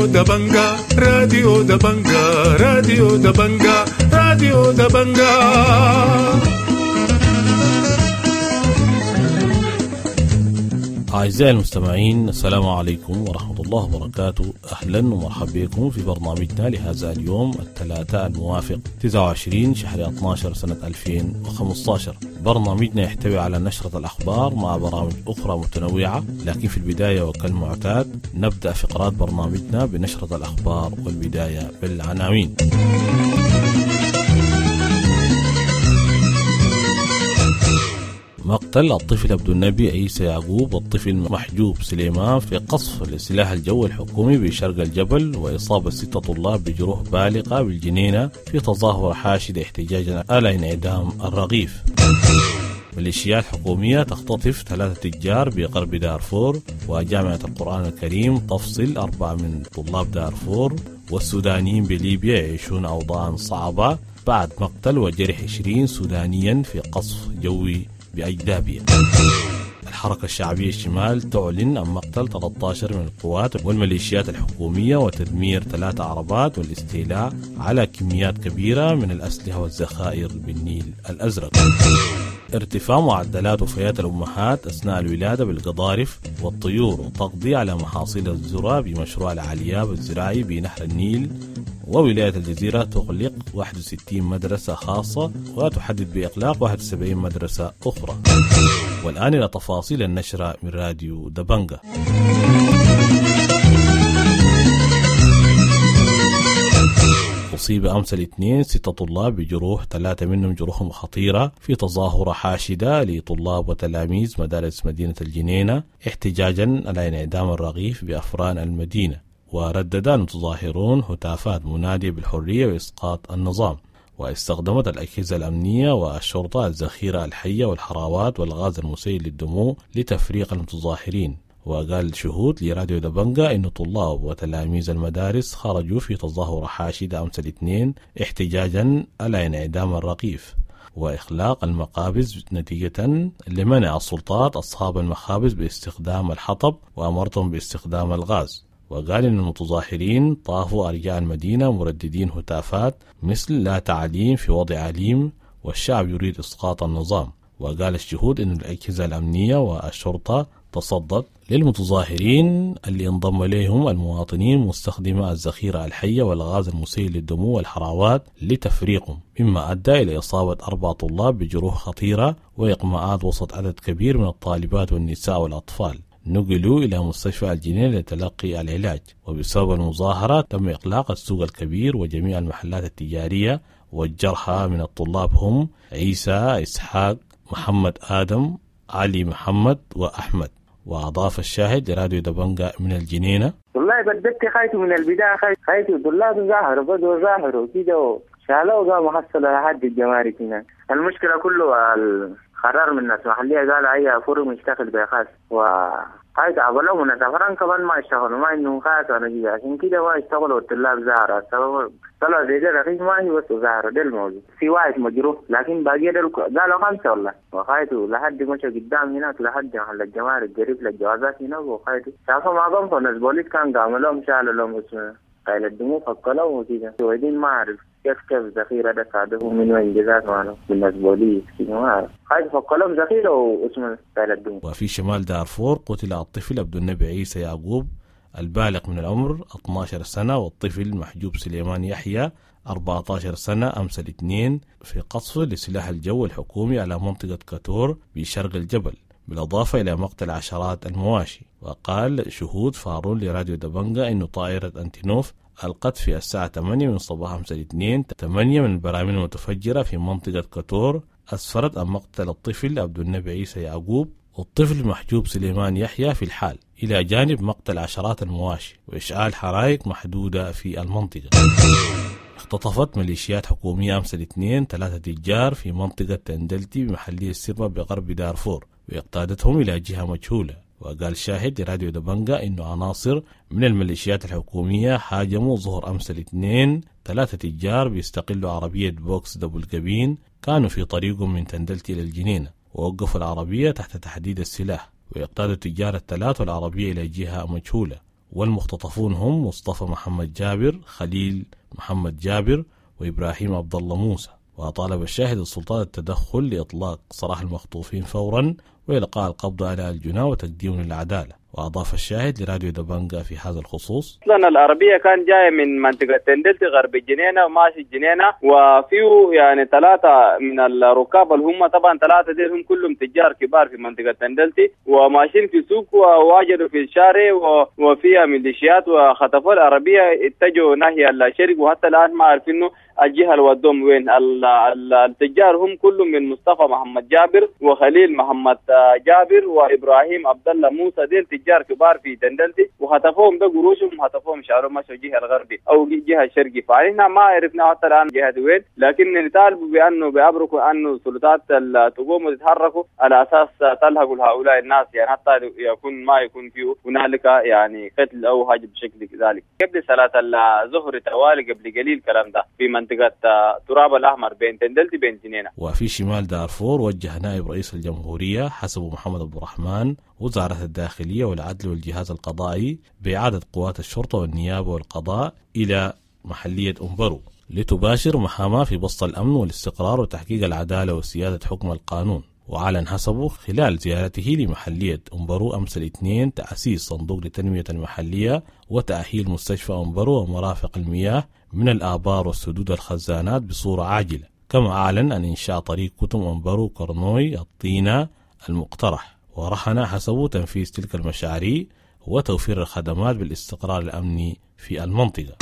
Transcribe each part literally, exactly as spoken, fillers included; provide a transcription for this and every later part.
راديو دبنجا، راديو دبنجا، راديو دبنجا، راديو دبنجا. أعزائي المستمعين، السلام عليكم ورحمة الله وبركاته. أهلا ومرحبا بكم في برنامجنا لهذا اليوم الثلاثاء الموافق تسعة وعشرين شهر اثني عشر سنة ألفين وخمسة عشر. برنامجنا يحتوي على نشرة الأخبار مع برامج أخرى متنوعة، لكن في البداية وكالمعتاد نبدأ فقرات برنامجنا بنشرة الأخبار، والبداية بالعناوين. مقتل الطفل عبد النبي عيسى يعقوب والطفل محجوب سليمان في قصف لسلاح الجو الحكومي بشرق الجبل، وإصابة ستة طلاب بجروح بالغة بالجنينة في تظاهر حاشد احتجاجا على انعدام الرغيف. ميليشيات حكومية تختطف ثلاثة تجار بغرب دارفور، وجامعة القرآن الكريم تفصل أربعة من طلاب دارفور، والسودانيين بليبيا يعيشون أوضاعا صعبة بعد مقتل وجرح عشرين سودانيا في قصف جوي بأجدابيا. الحركة الشعبية الشمال تعلن عن مقتل ثلاثة عشر من القوات والميليشيات الحكومية وتدمير ثلاث عربات والاستيلاء على كميات كبيرة من الأسلحة والذخائر بالنيل الأزرق. ارتفاع معدلات وفيات الأمهات أثناء الولادة بالقضارف والطيور وتقضي على محاصيل الذرة بمشروع العلياب الزراعي بنهر النيل. وولاية الجزيرة تغلق واحد وستين مدرسة خاصة وتحدد بإغلاق واحد وسبعين مدرسة أخرى. والآن إلى تفاصيل النشرة من راديو دبنجا. أصيب أمس الاثنين ستة طلاب بجروح، ثلاثة منهم جروحهم خطيرة، في تظاهرة حاشدة لطلاب وتلاميذ مدارس مدينة الجنينة احتجاجا على انعدام الرغيف بأفران المدينة. وردد المتظاهرون هتافات منادية بالحرية وإسقاط النظام. واستخدمت الأجهزة الأمنية والشرطة الذخيرة الحية والحراوات والغاز المسيل للدموع لتفريق المتظاهرين. وقال شهود لراديو دبنجا إن طلاب وتلاميذ المدارس خرجوا في تظاهرة حاشدة أمس الاثنين احتجاجا على انعدام الرغيف وإخلاق المقابز نتيجة لمنع السلطات أصحاب المخابز باستخدام الحطب وأمرتهم باستخدام الغاز. وقال إن المتظاهرين طافوا أرجاء المدينة مرددين هتافات مثل لا تعليم في وضع عليم والشعب يريد إسقاط النظام. وقال الشهود إن الأجهزة الأمنية والشرطة تصدت للمتظاهرين اللي انضم إليهم المواطنين مستخدمة الذخيرة الحية والغاز المسيل للدموع والحراوات لتفريقهم، مما أدى إلى إصابة أربع طلاب بجروح خطيرة وإقماعات وسط عدد كبير من الطالبات والنساء والأطفال. نقلوا إلى مستشفى الجنينة لتلقي العلاج. وبسبب المظاهرة تم إغلاق السوق الكبير وجميع المحلات التجارية. والجرحى من الطلاب هم عيسى إسحاق، محمد آدم، علي محمد، وأحمد. وأضاف الشاهد لراديو دبنجا من الجنينة: والله بدأت خايته من البداية، خايته طلاب ظاهروا بدوا ظاهروا كده شالوا قاموا حصلوا لحد الجمارك هناك. المشكلة كله القرار من الناس محلية قالوا أي فرم يشتغل بخاص، وهاي تعبلوا من السفران كمان ما يشتغلوا، ما إنه خاص ولا كده، عشان كده ما يشتغلوا الطلاب ظاهرة. السبب طلعوا زي ده رخيص ما هي بس ظاهرة ده الموضوع. في واحد مجروح لكن باقي ده قالوا خمسة والله، وخايته لحد مشى قدام هناك لحد محل الجمارك قريب للجوازات هناك، وخايته شافوا ما قاموا الناس بوليس كان قاموا لهم شالوا لهم اسمه قايل الدموع فكلوا وكده وبعدين ما أعرف كيف كيف ذخيرة ده صادفوا من وين جزات معنا من الناس بوليس كده ما أعرف خايف فكلهم ذخيرة واسمه قايل الدموع. وفي شمال دارفور قتل الطفل عبد النبي عيسى يعقوب البالغ من العمر اثني عشر سنة والطفل محجوب سليمان يحيى أربعة عشر سنة أمس الاثنين في قصف لسلاح الجو الحكومي على منطقة كاتور بشرق الجبل، بالإضافة إلى مقتل عشرات المواشي. وقال شهود فارون لراديو دبنجا إن طائرة أنتينوف ألقت في الساعة ثمانية من صباح أمس الاثنين ثمانية من البراميل المتفجرة في منطقة كاتور أسفرت عن مقتل الطفل عبد النبي عيسى يعقوب والطفل محجوب سليمان يحيى في الحال، إلى جانب مقتل عشرات المواشي وإشعال حرائق محدودة في المنطقة. اختطفت ميليشيات حكومية أمس الاثنين ثلاثة تجار في منطقة تندلتي بمحلية السربة بغرب دارفور واقتادتهم إلى جهة مجهولة. وقال شاهد لراديو دبنجا إنه عناصر من الميليشيات الحكومية هاجموا ظهر أمس الاثنين ثلاثة تجار بيستقلوا عربية بوكس double cabin كانوا في طريقهم من تندلتي إلى الجنينة، ووقفوا العربية تحت تحديد السلاح، ويقتادوا التجار الثلاث والعربية إلى جهة مجهولة. والمختطفون هم مصطفى محمد جابر، خليل محمد جابر، وإبراهيم عبد الله موسى. وطالب الشاهد السلطات التدخل لإطلاق سراح المخطوفين فورا وإلقاء القبض على الجناه وتقديمهم للعدالة. وأضاف الشاهد لراديو دبنجا في هذا الخصوص: أصلا العربية كان جاية من منطقة تندلتي غرب الجنينة وماشي الجنينة، وفيه يعني ثلاثة من الركاب اللي هم طبعا ثلاثة دي هم كلهم تجار كبار في منطقة تندلتي، وماشيين في سوق وواجدوا في الشارع وفيها ميليشيات وخطفوا العربية، اتجهوا ناحية الشرق، وحتى الآن ما عارفين الجهة اللي ودوهم وين. التجار هم كلهم من مصطفى محمد جابر وخليل محمد جابر وإبراهيم عبد الله موسى، ديل تجار كبار في تندلتي، وخطفوهم ده قروشهم وخطفوهم شعرهم مشوا الجهة الغربي أو الجهة الشرقي. فإحنا ما عرفنا حتى الآن جهة وين، لكن نطالب بأنه بأبركوا أنه السلطات تقوم وتتحركوا على أساس تلحقوا هؤلاء الناس، يعني حتى يكون ما يكون فيه هنالك يعني قتل أو حاجة بشكل ذلك. قبل صلاة الظهر توالي قبل قليل كلام ده في منطقة تراب الأحمر بين تندلتي بين جنينة. وفي شمال دارفور وجه نائب رئيس الجمهورية حسب محمد عبد الرحمن وزارة الداخلية والعدل والجهاز القضائي بإعادة قوات الشرطة والنيابة والقضاء إلى محلية أمبرو لتباشر محاماة في بسط الأمن والاستقرار وتحقيق العدالة وسيادة حكم القانون. وأعلن حسبه خلال زيارته لمحلية أمبرو أمس الاثنين تأسيس صندوق لتنمية المحلية وتأهيل مستشفى أمبرو ومرافق المياه من الآبار والسدود الخزانات بصورة عاجلة. كما أعلن عن إنشاء طريق كتم أمبرو كرنوي الطينة المقترح، ورهن حسبه تنفيذ تلك المشاريع وتوفير الخدمات بالاستقرار الأمني في المنطقة.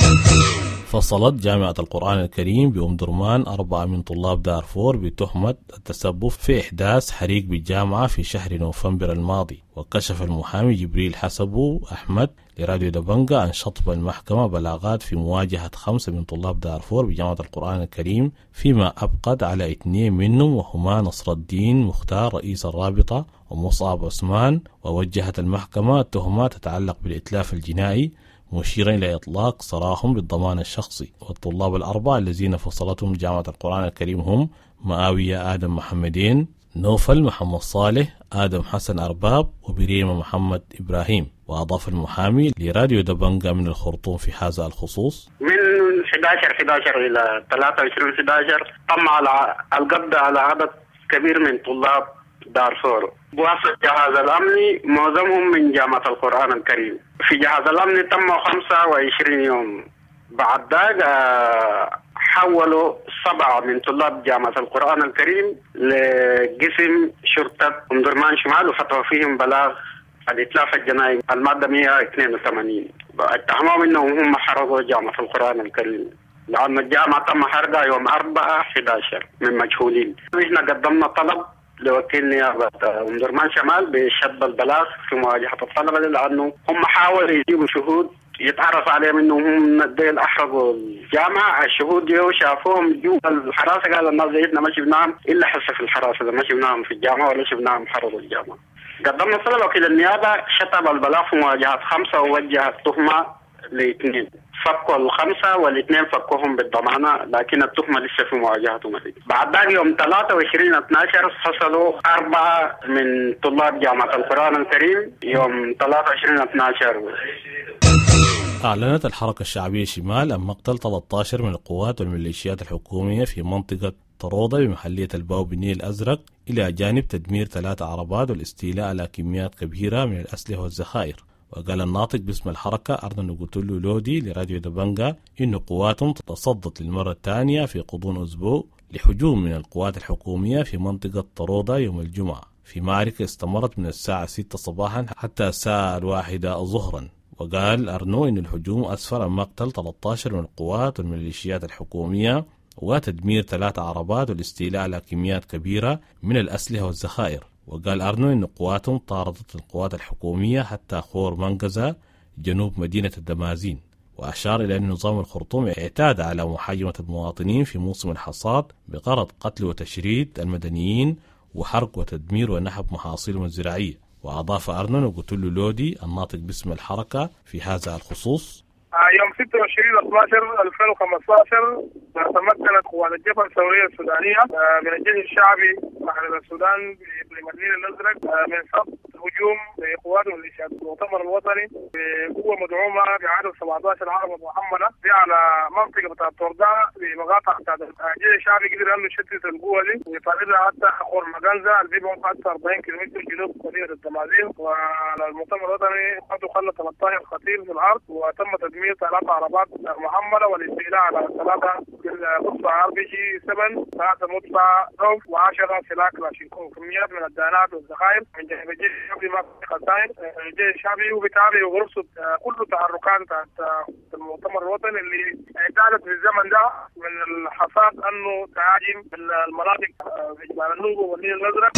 فصلت جامعة القرآن الكريم بأم درمان أربعة من طلاب دارفور بتهمة التسبب في إحداث حريق بالجامعة في شهر نوفمبر الماضي. وكشف المحامي جبريل حسبو أحمد لراديو دبنجا عن شطب المحكمة بلاغات في مواجهة خمسة من طلاب دارفور بجامعة القرآن الكريم، فيما أبقت على اثنين منهم وهما نصر الدين مختار رئيس الرابطة ومصعب عثمان. ووجهت المحكمة تهمات تتعلق بالإتلاف الجنائي، مشيرا إلى إطلاق سراحهم بالضمان الشخصي. والطلاب الأربعة الذين فصلتهم جامعة القرآن الكريم هم معاوية آدم محمدين، نوفل محمد صالح، آدم حسن أرباب، وبريمة محمد إبراهيم. وأضاف المحامي لراديو دبنجا من الخرطوم في هذا الخصوص: من أحد عشر أحد عشر إلى ثلاثة وعشرين أحد عشر تم على القبض على عدد كبير من طلاب دارفور بواسطة جهاز الأمني، معظمهم من جامعة القرآن الكريم. في جهاز الأمن تم خمسة وعشرين يوم، بعد ذلك حولوا سبعة من طلاب جامعة القرآن الكريم لقسم شرطة أم درمان شمال وفتحوا فيهم بلاغ الإتلاف الجنائي المادة مئة واثنين وثمانين. اتهموا انهم هم حرقوا جامعة القرآن الكريم، لأن الجامعة تم حرقها يوم أربعة أحد عشر من مجهولين. نحن قدمنا طلب لوكيل نيابة أم درمان شمال بشد البلاغ في مواجهة الطلبة، لأنه هم حاولوا يجيبوا شهود يتعرف عليهم انه هم ديل احرقوا الجامعة. الشهود ديو شافوهم جوا الحراسة، قال الناس زيتنا ما شفناهم الا حسه في الحراسة، ما شفناهم في الجامعة ولا شفناهم حرقوا الجامعة. قدمنا طلب وكيل النيابة شطب البلاغ في مواجهة خمسة ووجه التهمة لاثنين، فكوا الخمسة والاثنين فكوهم بالضمانه، لكن التهمة لسه في مواجهتهم. بعد ذلك يوم ثلاثة وعشرين اثنا عشر فصلوا اربعة من طلاب جامعه القران الكريم يوم ثلاثة وعشرين اثنا عشر. أعلنت الحركة الشعبية شمال عن مقتل ثلاثة عشر من القوات والميليشيات الحكومية في منطقة طرودة بمحلية الباو بالنيل الأزرق، إلى جانب تدمير ثلاث عربات والاستيلاء على كميات كبيرة من الأسلحة والذخائر. وقال الناطق باسم الحركة أرنو نقوتولو لودي لراديو دبنجا إن قواتهم تصدت للمرة الثانية في غضون أسبوع لهجوم من القوات الحكومية في منطقة طرودة يوم الجمعة، في معركة استمرت من الساعة ستة صباحا حتى الساعة الواحدة ظهرا. وقال أرنو إن الهجوم أسفر عن مقتل ثلاثة عشر من القوات والميليشيات الحكومية وتدمير ثلاث عربات والاستيلاء على كميات كبيرة من الأسلحة والذخائر. وقال أرنو إن قواتهم طاردت القوات الحكومية حتى خور منقزة جنوب مدينة الدمازين. وأشار إلى أن نظام الخرطوم اعتاد على محاجمة المواطنين في موسم الحصاد بغرض قتل وتشريد المدنيين وحرق وتدمير ونهب محاصيلهم الزراعية. وأضاف أرنو نقوتولو لودي الناطق باسم الحركة في هذا الخصوص: يوم ستة وعشرين اثنا عشر ألفين وخمسة عشر تمكنت قوات الجبهة الثورية السودانية من الجيش الشعبي محرر السودان بإقليم النيل الأزرق من صد هجوم لقوات ميليشيات المؤتمر الوطني بقوة مدعومة بعدد سبعة عشر عربه محمله دي على منطقة بتاعت تورداء بمقاطعة بتاعت الجيش الشعبي. قدر انه يشتت القوة دي ويطاردها حتى خور مجنزه اللي بيبعد حتى أربعين كيلومتر جنوب مدينة الدمازين. والمؤتمر الوطني خدوا خلى ثلاثة عشر قتيل في الارض، وتم تدمير ثلاث عربات محمله والاستيلاء على ثلاثة مدفع ار بي جي سبعة، ثلاثة مدفع روف، وعشرة سلاح كلاشينكوف، كميات من الدانات والذخائر. من جانب الجيش الشعبي ما في خسائر. الجيش الشعبي وبيتابع وبرصد كل تحركات بتاعت المؤتمر الوطني اللي اعتادت في الزمن ده من الحصاد انه تهاجم المناطق في جبال النوبة والنيل الازرق.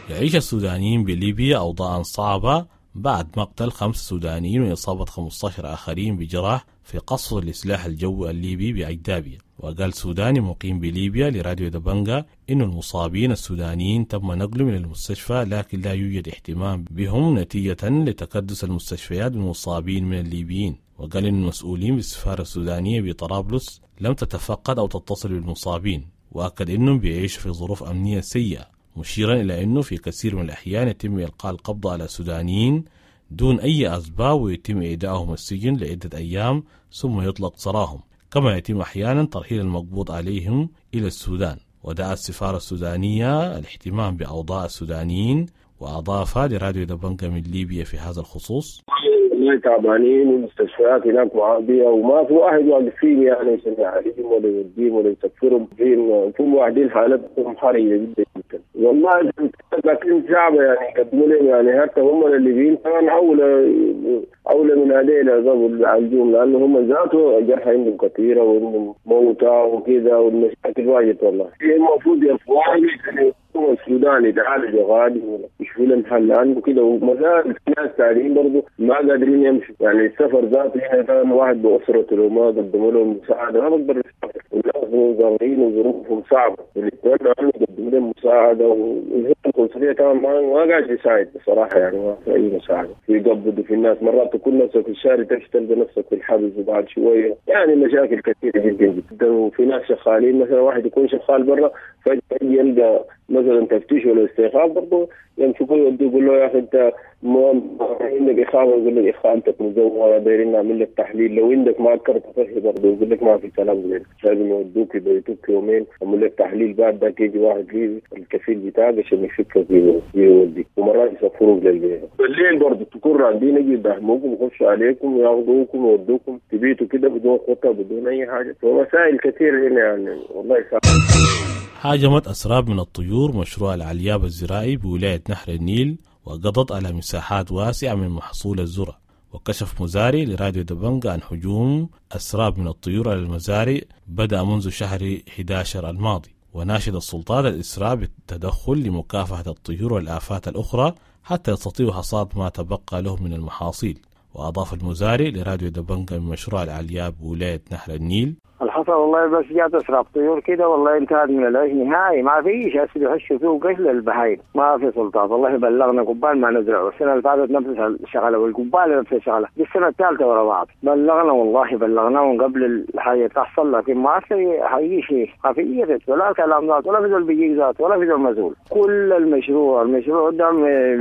يعيش السودانيين بليبيا أوضاعا صعبة بعد مقتل خمس سودانيين وإصابة خمسة عشر آخرين بجراح في قصف السلاح الجوي الليبي بأجدابيا. وقال سوداني مقيم بليبيا لراديو دبنجا إن المصابين السودانيين تم نقلهم إلى المستشفى، لكن لا يوجد اهتمام بهم نتيجة لتكدس المستشفيات بالمصابين من الليبيين. وقال إن المسؤولين بالسفارة السودانية بطرابلس لم تتفقد أو تتصل بالمصابين، وأكد إنهم بيعيشوا في ظروف أمنية سيئة، مشيرا إلى أنه في كثير من الأحيان يتم إلقاء القبض على السودانيين دون أي أسباب، ويتم إيداعهم السجن لعدة أيام ثم يطلق سراحهم، كما يتم أحيانا ترحيل المقبوض عليهم إلى السودان. ودعا السفارة السودانية الاهتمام بأوضاع السودانيين. وأضاف لراديو دبنجا من ليبيا في هذا الخصوص: والله تعبانين، والمستشفيات هناك معبية وما في واحد واقف فيهم يعني عشان يعالجهم ولا يوديهم ولا يسفرهم. فين في واحدين حالتهم حرجة جدا جدا والله، لكن صعبة يعني يقدموا لهم، يعني حتى هم الليبيين كمان أولى أولى من هذيل قبل يعالجوهم، لأنه هم ذاته جرحى عندهم كثيرة وعندهم موتى وكذا، والمشاكل واجد والله. المفروض يرفعوا السوداني يتعالجوا غادي ولا يشوفوا لهم حل، لانه كده ومازال في ناس ثانيين برضه ما قادرين يمشوا. يعني السفر ذاته هنا كان واحد باسرته لو ما قدموا لهم مساعدة ما بقدر يسافر، والناس صغيرين وظروفهم صعبه، ونتمنى انه يقدموا لهم مساعده. والقنصليه كمان ما, ما قاعد يساعد بصراحه، يعني ما في اي مساعده. يقبضوا في الناس، مرات تكون نفسك في الشارع تمشي تلقى نفسك في الحبس وبعد شويه، يعني مشاكل كثيرة جدا جدا. وفي ناس شغالين، مثلا واحد يكون شغال برا فجاة يلقى مثلا تفتيش ولا استيقاف، برضه يمسكوه يودوه، يقول له يا اخي انت عندك اقامه، يقول لك اقامتك مزوره، دايرين نعمل لك تحليل. لو عندك ما كرت صحي برضه يقول لك ما في كلام زي، لازم يودوك يبيتوك يومين، يعمل لك تحليل، بعد ذاك يجي واحد ليبي الكفيل بتاعك عشان يفكك ويوديك، ومرات يسفروك للبيت. بالليل برضه تكون راقدين يجي يدهموكم ويخشوا عليكم وياخذوكم ويودوكم تبيتوا كده بدون خطه بدون اي حاجه، ومسائل كثيرة هنا يعني والله صعب. هاجمت أسراب من الطيور مشروع العلياب الزراعي بولاية نهر النيل وقضت على مساحات واسعة من محصول الذرة. وكشف مزارع لراديو دبنجا عن هجوم أسراب من الطيور على المزارع بدأ منذ شهر أحد عشر الماضي، وناشد السلطات الإسراع بالتدخل لمكافحة الطيور والآفات الأخرى حتى يستطيعوا حصاد ما تبقى لهم من المحاصيل. وأضاف المزارع لراديو دبنجا من مشروع العلياب بولاية نهر النيل: الحصل والله بس جات اسراب طيور كده، والله انتهت من العيش نهائي، ما فيش هسه يحشوا فيه قش للبهايم. ما في سلطات والله. بلغنا قبال ما نزرعه السنة اللي فاتت نفس الشغله، والقبال نفس الشغله، دي السنة الثالثة ورا بعض. بلغنا والله بلغناهم قبل الحاجة تحصل، لكن ما في حقيقي شيء، ما في ولا كلام ذات ولا في زول بيجيك ذات ولا في زول مسؤول. كل المشروع المشروع ده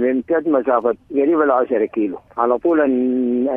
بيمتد مسافة قريب العشرة كيلو على طول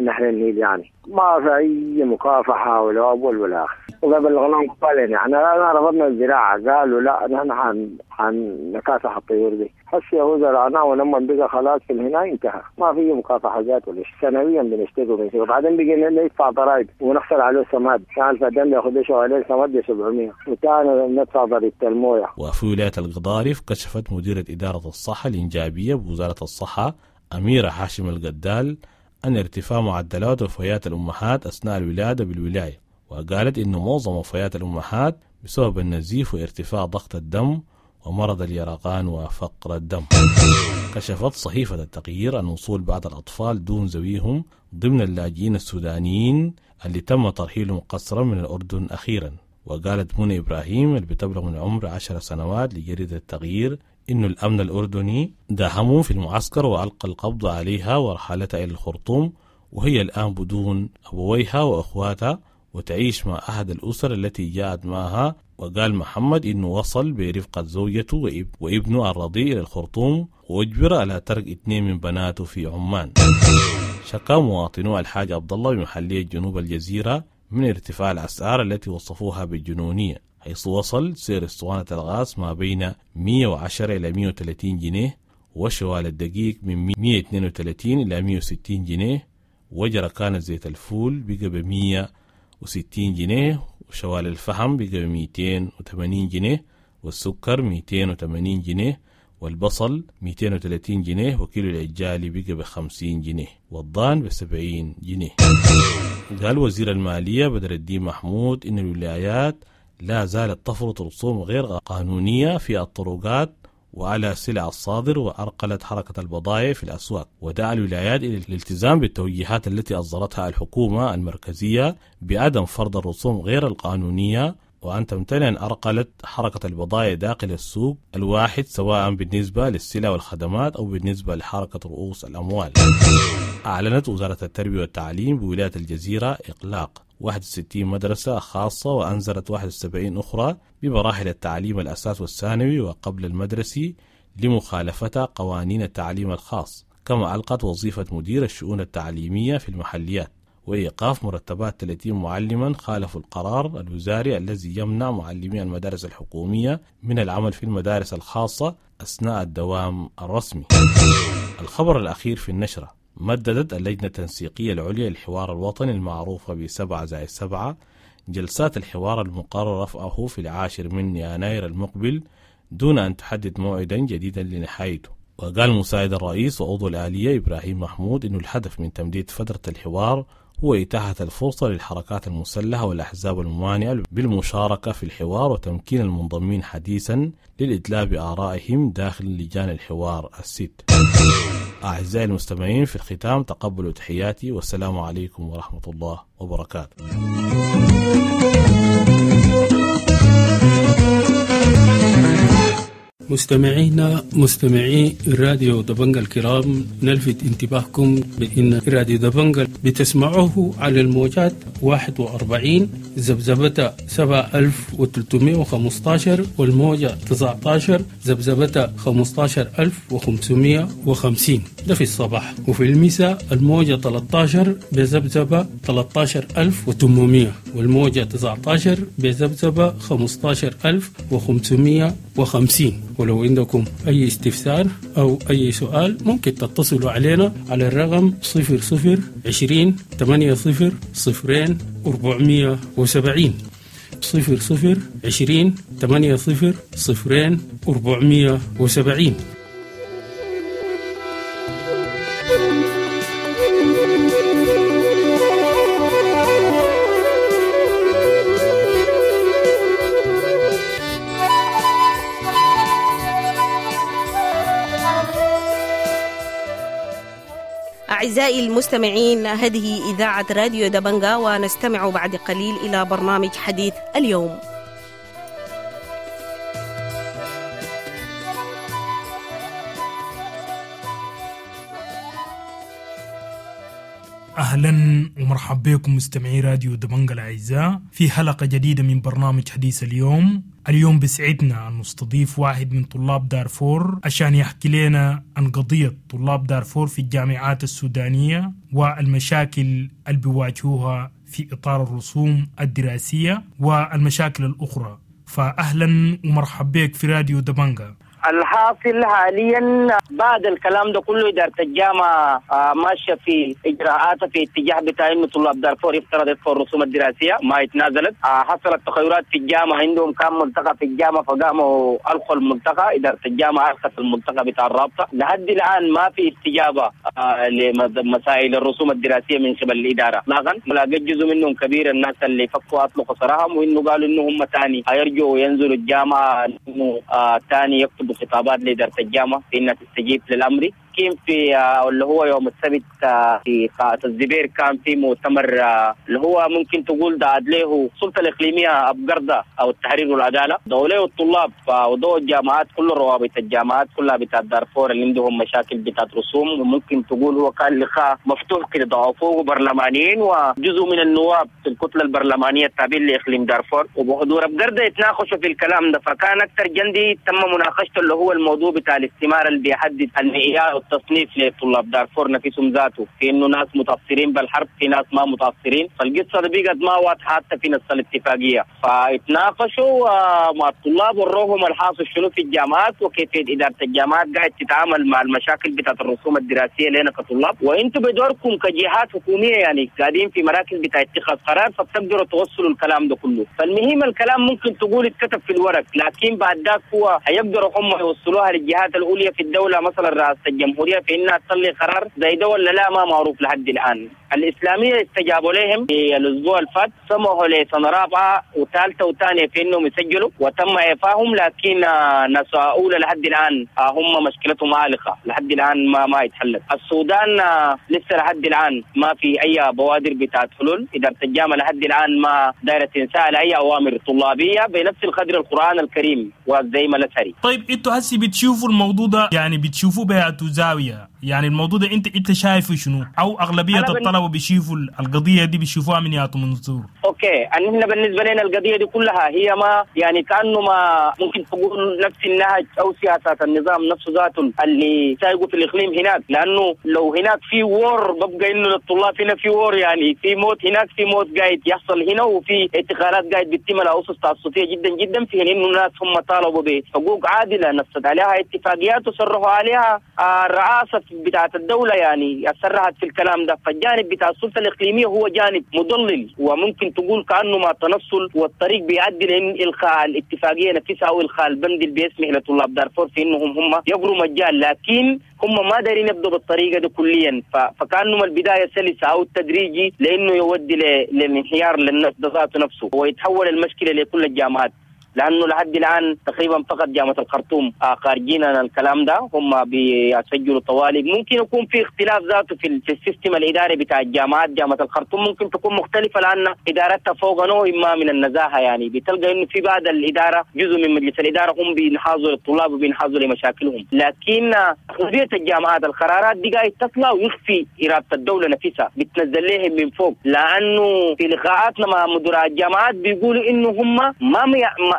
نهر النيل، يعني ما في اي مكافحة ولا اول ولا اخر. والله بلغناهم قبال، يعني احنا رفضنا الزراعه، قالوا لا نحن حن حنكافح الطيور دي. هسه هو زرعناه ولما بقى خلاص في الهنا انتهى، ما في مكافحة ذات ولا شيء. سنويا بنشتري وبنشتري، وبعدين بقينا ندفع ضرائب ونخسر عليه سماد، كان الفدان ياخذ عليه سماد ب سبعمية، وتاني ندفع ضريبة المويه. وفي ولاية القضارف كشفت مديرة إدارة الصحة الإنجابية بوزارة الصحة أميرة هاشم القدال أن ارتفاع معدلات وفيات الأمهات أثناء الولادة بالولاية، وقالت إن معظم وفيات الأمهات بسبب النزيف وارتفاع ضغط الدم ومرض اليرقان وفقر الدم. كشفت صحيفة التغيير عن وصول بعض الأطفال دون ذويهم ضمن اللاجئين السودانيين اللي تم ترحيلهم قسرا من الأردن أخيرا. وقالت منى إبراهيم اللي بتبلغ من عمر عشر سنوات لجريدة التغيير إنه الأمن الأردني داهمهم في المعسكر وألقى القبض عليها ورحلتها إلى الخرطوم، وهي الآن بدون أبويها وأخواتها. وتعيش مع أحد الأسر التي جاءت معها. وقال محمد إنه وصل برفقة زوجته وابنه الرضيع إلى الخرطوم وأجبر على ترك اثنين من بناته في عمان. شكا مواطنو الحاج عبد الله بمحلية جنوب الجزيرة من ارتفاع الأسعار التي وصفوها بالجنونية، حيث وصل سعر اسطوانة الغاز ما بين مئة وعشرة إلى مئة وثلاثين جنيه، وشوال الدقيق من مئة واثنين وثلاثين إلى مئة وستين جنيه، وجركان زيت الفول بقى ب مئة وستين جنيه، وشوال الفحم بقى ب مئتين وثمانين جنيه، والسكر مئتين وثمانين جنيه، والبصل مئتين وثلاثين جنيه، وكيلو العجالي بقى ب خمسين جنيه، والضان ب سبعين جنيه. قال وزير المالية بدر الدين محمود إن الولايات لا زالت تفرض رسوم غير قانونية في الطرقات وعلى سلع الصادر، وأرقلت حركة البضائع في الأسواق، ودعا الولايات إلى الالتزام بالتوجيهات التي أصدرتها الحكومة المركزية بعدم فرض الرسوم غير القانونية، وأن تمتنع أن أرقلت حركة البضائع داخل السوق الواحد سواء بالنسبة للسلع والخدمات أو بالنسبة لحركة رؤوس الأموال. أعلنت وزارة التربية والتعليم بولاية الجزيرة إغلاق واحد وستين مدرسة خاصة وأنزلت واحد وسبعين أخرى بمراحل التعليم الأساس والثانوي وقبل المدرسي لمخالفة قوانين التعليم الخاص، كما ألقت وظيفة مدير الشؤون التعليمية في المحليات، وإيقاف مرتبات ثلاثين معلما خالفوا القرار الوزاري الذي يمنع معلمي المدارس الحكومية من العمل في المدارس الخاصة أثناء الدوام الرسمي. الخبر الأخير في النشرة: مددت اللجنة التنسيقية العليا للحوار الوطني المعروفة بسبعة زائد سبعة جلسات الحوار المقرر رفعه في العاشر من يناير المقبل دون أن تحدد موعدا جديدا لنهايته. وقال مساعد الرئيس وعضو الآلية إبراهيم محمود إنه الهدف من تمديد فترة الحوار هو إتاحة الفرصة للحركات المسلحة والأحزاب الممانعة بالمشاركة في الحوار وتمكين المنضمين حديثا للإدلاء بآرائهم داخل لجان الحوار الست. أعزائي المستمعين، في الختام تقبلوا تحياتي، والسلام عليكم ورحمة الله وبركاته. مستمعينا مستمعي راديو دبنجا الكرام، نلفت انتباهكم بأن راديو دبنجا بتسمعوه على الموجات واحد وأربعين ذبذبة سبعة آلاف وثلاثمائة وخمسة عشر والموجة تسعة عشر ذبذبة خمسة عشر ألف وخمسمائة وخمسين، ده في الصباح، وفي المساء الموجة ثلاثة عشر بذبذبة ثلاثة عشر ألف وثمانمائة والموجة تسعة عشر بذبذبة خمسة عشر ألف وخمسمائة وخمسين. ولو عندكم أي استفسار أو أي سؤال ممكن تتصلوا علينا على الرقم صفر صفر عشرين ثمانية صفر صفرين أربعمية وسبعين، صفر صفر عشرين ثمانية صفر صفرين أربعمية وسبعين. أعزائي المستمعين، هذه إذاعة راديو دبنجا، ونستمع بعد قليل إلى برنامج حديث اليوم. أهلا ومرحبا بكم مستمعي راديو دبنجا الأعزاء في حلقة جديدة من برنامج حديث اليوم. اليوم بسعدنا أن نستضيف واحد من طلاب دارفور عشان يحكي لنا عن قضية طلاب دارفور في الجامعات السودانية والمشاكل اللي بيواجهوها في إطار الرسوم الدراسية والمشاكل الأخرى. فأهلا ومرحبا بك في راديو دبنجا. الحاصل حاليا بعد الكلام ده كله إدارة الجامعة ماشية في إجراءاتها في اتجاه بتاع إنه طلاب دارفور يفترض يدفعوا الرسوم الدراسية، ما يتنازلت. حصلت تغيرات في الجامعة، عندهم كان ملتقى في الجامعة فقاموا ألقوا الملتقى، إدارة الجامعة ألقت الملتقى بتاع الرابطة. لحد الآن ما في استجابة لمسائل الرسوم الدراسية من قبل الإدارة إطلاقا. لقيت جزء منهم كبير الناس اللي فكوا أطلقوا سراحهم، وإنه قالوا إنه هم تاني هيرجعوا ينزلوا الجامعة إنه تاني يكتبوا خطابات لإدارة الجامعة في إنها تستجيب للأمر. لكن في اللي هو يوم السبت في قاعة الزبير كان في مؤتمر اللي هو ممكن تقول دعت له السلطة الإقليمية أبقردة أو التحرير والعدالة، دعوا له الطلاب ودعوا الجامعات، كل روابط الجامعات كلها بتاعت دارفور اللي عندهم مشاكل بتاعت رسوم، وممكن تقول هو كان لقاء مفتوح كده، دعوا فوق برلمانيين وجزء من النواب في الكتلة البرلمانية التابعين لإقليم دارفور وبحضور أبقردة يتناقشوا في الكلام ده. فكان أكثر جندي تم مناقشته اللي هو الموضوع بتاع الاستمارة اللي بيحدد المعيار والتصنيف لطلاب دارفور نفسهم ذاته، في إنه ناس متأثرين بالحرب، في ناس ما متأثرين، فالقصة دي بقت ما واضحة حتى في نص الاتفاقية. فاتناقشوا مع الطلاب وروهم الحاصل شنو في الجامعات وكيفية إدارة الجامعات قاعد تتعامل مع المشاكل بتاعت الرسوم الدراسية لنا كطلاب، وانتم بدوركم كجهات حكومية يعني قاعدين في مراكز بتاع اتخاذ قرار فبتقدروا توصلوا الكلام ده كله. فالمهم الكلام ممكن تقول اتكتب في الورق، لكن بعد ذاك هو هيقدروا هم يوصلوها للجهات العليا في الدولة مثلا رئاسة الجمهورية في انها تطلع قرار زي ده ولا لا، ما معروف لحد الآن. الإسلامية استجابوا لهم في الأسبوع الفات، سمحوا لسنة رابعة وثالثة وثانية في إنهم يسجلوا وتم إعفائهم، لكن ناس أولى لحد الآن هم مشكلتهم عالقة لحد الآن ما ما يتحلت. السودان لسه لحد الآن ما في أي بوادر بتاعت حلول، إدارة الجامعة لحد الآن ما دايرة تنسال أي أوامر طلابية بنفس القدر القرآن الكريم وزي ما الأزهري. طيب أنتوا هسي بتشوفوا الموضوع ده يعني بتشوفوه بهاتو زاوية، يعني الموضوع ده أنت أنت شايفه شنو؟ أو أغلبية الطلبة بيشوفوا القضية دي بيشوفوها من ياتو منظور؟ okay، احنا بالنسبة لنا القضية دي كلها هي ما يعني كأنه ما ممكن تقول نفس النهج أو سياسات النظام نفسه ذاته اللي سايقه في الإقليم هناك، لأنه لو هناك في war ببقى إنه للطلاب هنا في war، يعني في موت هناك، في موت قاعد يحصل هنا، وفي اعتقالات قاعد بتتم على أسس تعسفية جدا جدا، في إنه الناس هم طالبوا بحقوق عادلة نصت عليها اتفاقيات وصرحوا عليها الرئاسة بتاعة الدولة يعني صرحت في الكلام ده. فالجانب بتاع السلطة الإقليمية هو جانب مضلل وممكن تقول كأنه ما تنصل، والطريق بيؤدي لإلغاء الاتفاقية نفسها أو إلغاء البند اللي بيسمح لطلاب دارفور في إنهم هم يقروا مجال، لكن هم ما دارين يبدوا بالطريقة دي كليا، فكأنه البداية سلسة أو التدريجي لأنه يودي للانهيار للنفس ذاته نفسه ويتحول المشكلة لكل الجامعات. لأنه لحد الآن تقريبا فقط جامعة الخرطوم خارجين عن الكلام ده، هم بيسجلوا طوالي. ممكن يكون في اختلاف ذاته في ال system الإداري بتاع الجامعات، جامعة الخرطوم ممكن تكون مختلفة لأن إدارتها فوق نوع ما من النزاهة، يعني بتلقى إنه في بعض الإدارة جزء من مجلس الإدارة هم بينحازوا للطلاب وبينحازوا لمشاكلهم، لكن أغلبية الجامعات القرارات دي قاعد تطلع ويخفي إرادة الدولة نفسها، بتنزل لهم من فوق. لأنه في لقاءاتنا مع مدراء الجامعات بيقولوا إنه هم ما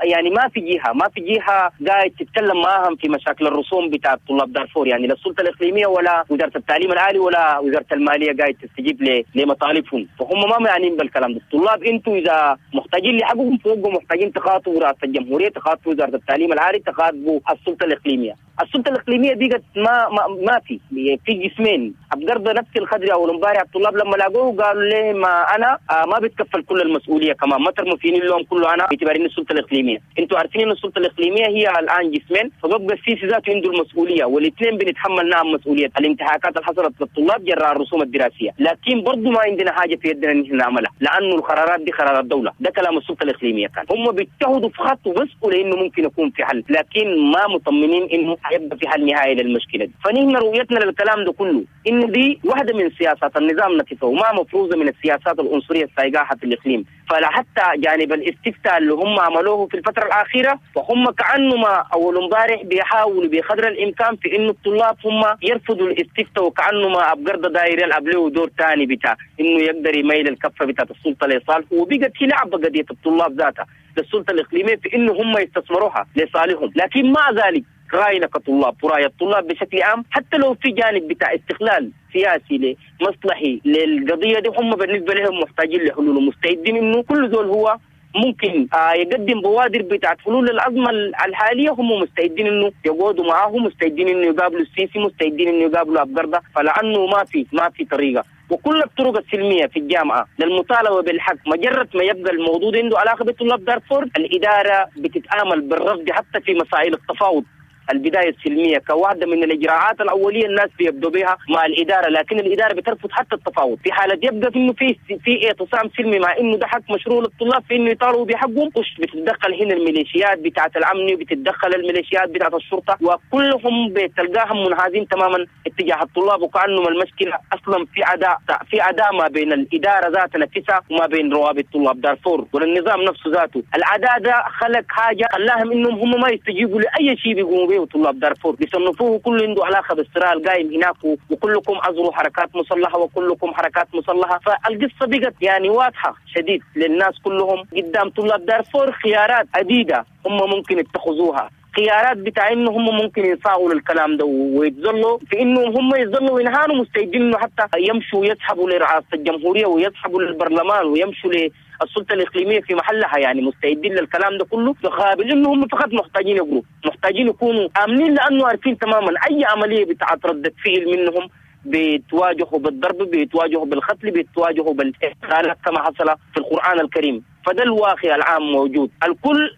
يعني ما في جهة ما في جهة قاعد تتكلم معاهم في مشاكل الرسوم بتاع طلاب دارفور، يعني لا السلطة الإقليمية ولا وزارة التعليم العالي ولا وزارة المالية قاعد تستجيب لمطالبهم، فهم ما معنيين بالكلام ده. الطلاب انتوا إذا محتاجين لحقهم فوقهم محتاجين تخاطبوا رئاسة الجمهورية، تخاطبوا وزارة التعليم العالي، تخاطبوا السلطة الإقليمية. السلطة الإقليمية دي ما ما ما في في جسمين. أبقرض نفس الخدري أو الامبارح الطلاب لما لاقوه قالوا ليه ما أنا آه ما بتكفل كل المسؤولية، كمان ما ترموا فيني اللوم كله أنا باعتبار إن السلطة الإقليمية. أنتوا عارفين إن السلطة الإقليمية هي الآن جسمين، فببقى السيسي ذاته عنده المسؤولية والاثنين بنتحمل نعم مسؤولية الانتهاكات اللي حصلت للطلاب جراء الرسوم الدراسية، لكن برضه ما عندنا حاجة في يدنا إن احنا نعملها لأنه القرارات دي قرارات دولة. ده كلام السلطة الإقليمية، كان هم بيجتهدوا في خط وبسقوا لأنه ممكن يكون في حل، لكن ما مطمنين إنه هيبقى في حل نهائي للمشكلة دي. فنحن رؤيتنا للكلام ده كله إن دي واحدة من سياسات النظام نفسه وما مفروضة من السياسات العنصرية السايقاها في الإقليم. فلا حتى جانب الاستفتاء اللي هم عملوه في الفترة الأخيرة فهم كأنه ما أول امبارح بيحاولوا بقدر الإمكان في إنه الطلاب هم يرفضوا الاستفتاء، وكأنه ما أبقرض داير يلعب له دور ثاني بتاع إنه يقدر يميل الكفة بتاعت السلطة لصالحه، وبقت هي لعبة قضية الطلاب ذاتها للسلطة الإقليمية في إنه هم يستثمروها لصالحهم. لكن مع ذلك رأينا كطلاب ورأي الطلاب بشكل عام حتى لو في جانب بتاع استغلال سياسي لمصلحي للقضية دي، هم بالنسبة لهم محتاجين لحلول ومستعدين إنه كل زول هو ممكن آه يقدم بوادر بتاعت حلول للأزمة الحالية، هم مستعدين إنه يقعدوا معاه، مستعدين إنه يقابلوا السيسي، مستعدين إنه يقابلوا أبقردة. فلأنه ما في ما في طريقة، وكل الطرق السلمية في الجامعة للمطالبة بالحق مجرد ما يبقى الموضوع عنده علاقة بطلاب دارفور الإدارة بتتعامل بالرفض حتى في مسائل التفاوض. البداية السلمية كواحده من الاجراءات الاولية الناس بيبدوا بها مع الادارة، لكن الادارة بترفض حتى التفاوض. في حاله يبقى في انه في في اعتصام سلمي مع انه ده حق مشروع للطلاب في انه يطالبوا بحقهم، بتتدخل هنا الميليشيات بتاعه الامن وبتتدخل الميليشيات بتاعه الشرطة، وكلهم بتلقاهم منحازين تماما اتجاه الطلاب، وكانه المشكلة اصلا في عداء في عداء ما بين الادارة ذات نفسها وما بين روابط طلاب دارفور والنظام نفسه ذاته. العداء ده خلق حاجة خلاهم انهم هم ما يستجيبوا لاي شيء بيقوموا به طلاب دارفور، بيصنفوه كله عنده علاقة بالصراع القايم هناك، وكلكم ازروا حركات مسلحة وكلكم حركات مسلحة. فالقصة بقت يعني واضحة شديد للناس كلهم قدام طلاب دارفور خيارات عديدة هم ممكن يتخذوها، خيارات بتاع انه هم ممكن يصاغوا للكلام ده ويتظلوا في انه هم يظلوا وينهانوا مستعدين انه حتى يمشوا يسحبوا لرئاسة الجمهورية ويسحبوا للبرلمان ويمشوا للسلطة الاقليمية في محلها، يعني مستعدين للكلام ده كله، بقابل انه هم فقط محتاجين يقروا، محتاجين يكونوا امنين، لانه عارفين تماما اي عملية بتاعت ردة فعل منهم بيتواجهوا بالضرب، بيتواجهوا بالقتل، بيتواجهوا بالاغتيالات كما حصل في القرآن الكريم. فده الواقع العام موجود، الكل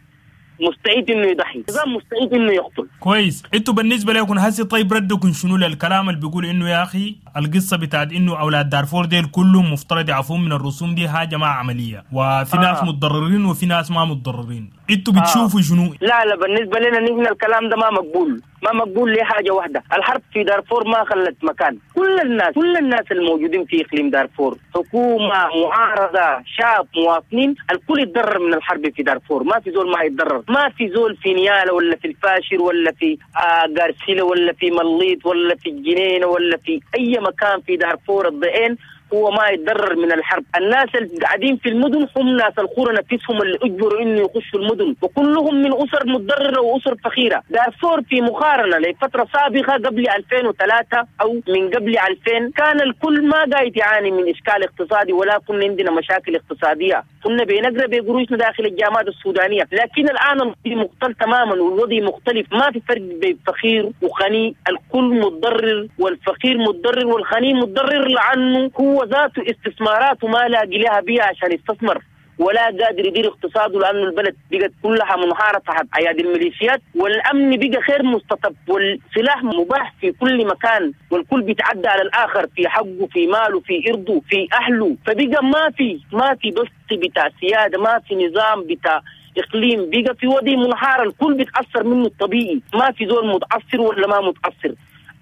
مستعد انه يضحي، النظام مستعد انه يقتل. كويس، انتوا بالنسبة لكم هسي طيب ردكم شنو للكلام اللي بيقول انه يا اخي القصة بتاعت انه اولاد دارفور ديل كلهم مفترض يعفون من الرسوم دي حاجة ما عملية، وفي آه. ناس متضررين وفي ناس ما متضررين، انتوا بتشوفوا آه. شنو؟ لا لا بالنسبة لنا نحن الكلام ده ما مقبول، ما مقبول لحاجة واحدة، الحرب في دارفور ما خلت مكان، كل الناس كل الناس الموجودين في اقليم دارفور، حكومة، معارضة، شعب، مواطنين، الكل يتضرر من الحرب في دارفور، ما في زول ما يتضرر، ما في زول في نياله ولا في الفاشر ولا في آه غارسيلا ولا في مليط ولا في الجنينة ولا في اي مكان في دارفور الضئين هو ما يتضرر من الحرب. الناس اللي قاعدين في المدن هم ناس القرى نفسهم اللي اجبروا انه يخشوا المدن، وكلهم من اسر متضرره واسر فقيرة. دارفور في مقارنة لفترة سابقه قبل ألفين وثلاثة او من قبل ألفين كان الكل ما قاعد يعاني من اشكال اقتصادي، ولا كنا عندنا مشاكل اقتصادية، كنا بنقرا بقروشنا داخل الجامعات السودانية. لكن الان الوضع مختلف تماما والوضع مختلف، ما في فرق بين فقير وغني، الكل متضرر والفقير متضرر والغني متضرر، لانه هو ذاته استثماراته ما لاقي لها بيها عشان يستثمر، ولا قادر يدير اقتصاده، لأنه البلد بقت كلها منهارة تحت أيادي الميليشيات، والأمن بقى غير مستتب، والسلاح مباح في كل مكان، والكل بيتعدى على الآخر في حقه، في ماله، في إرضه، في أهله. فبقى ما في ما في بس بتاع سيادة، ما في نظام بتاع إقليم، بقى في وضع منهار الكل بيتأثر منه الطبيعي، ما في زول متأثر ولا ما متأثر،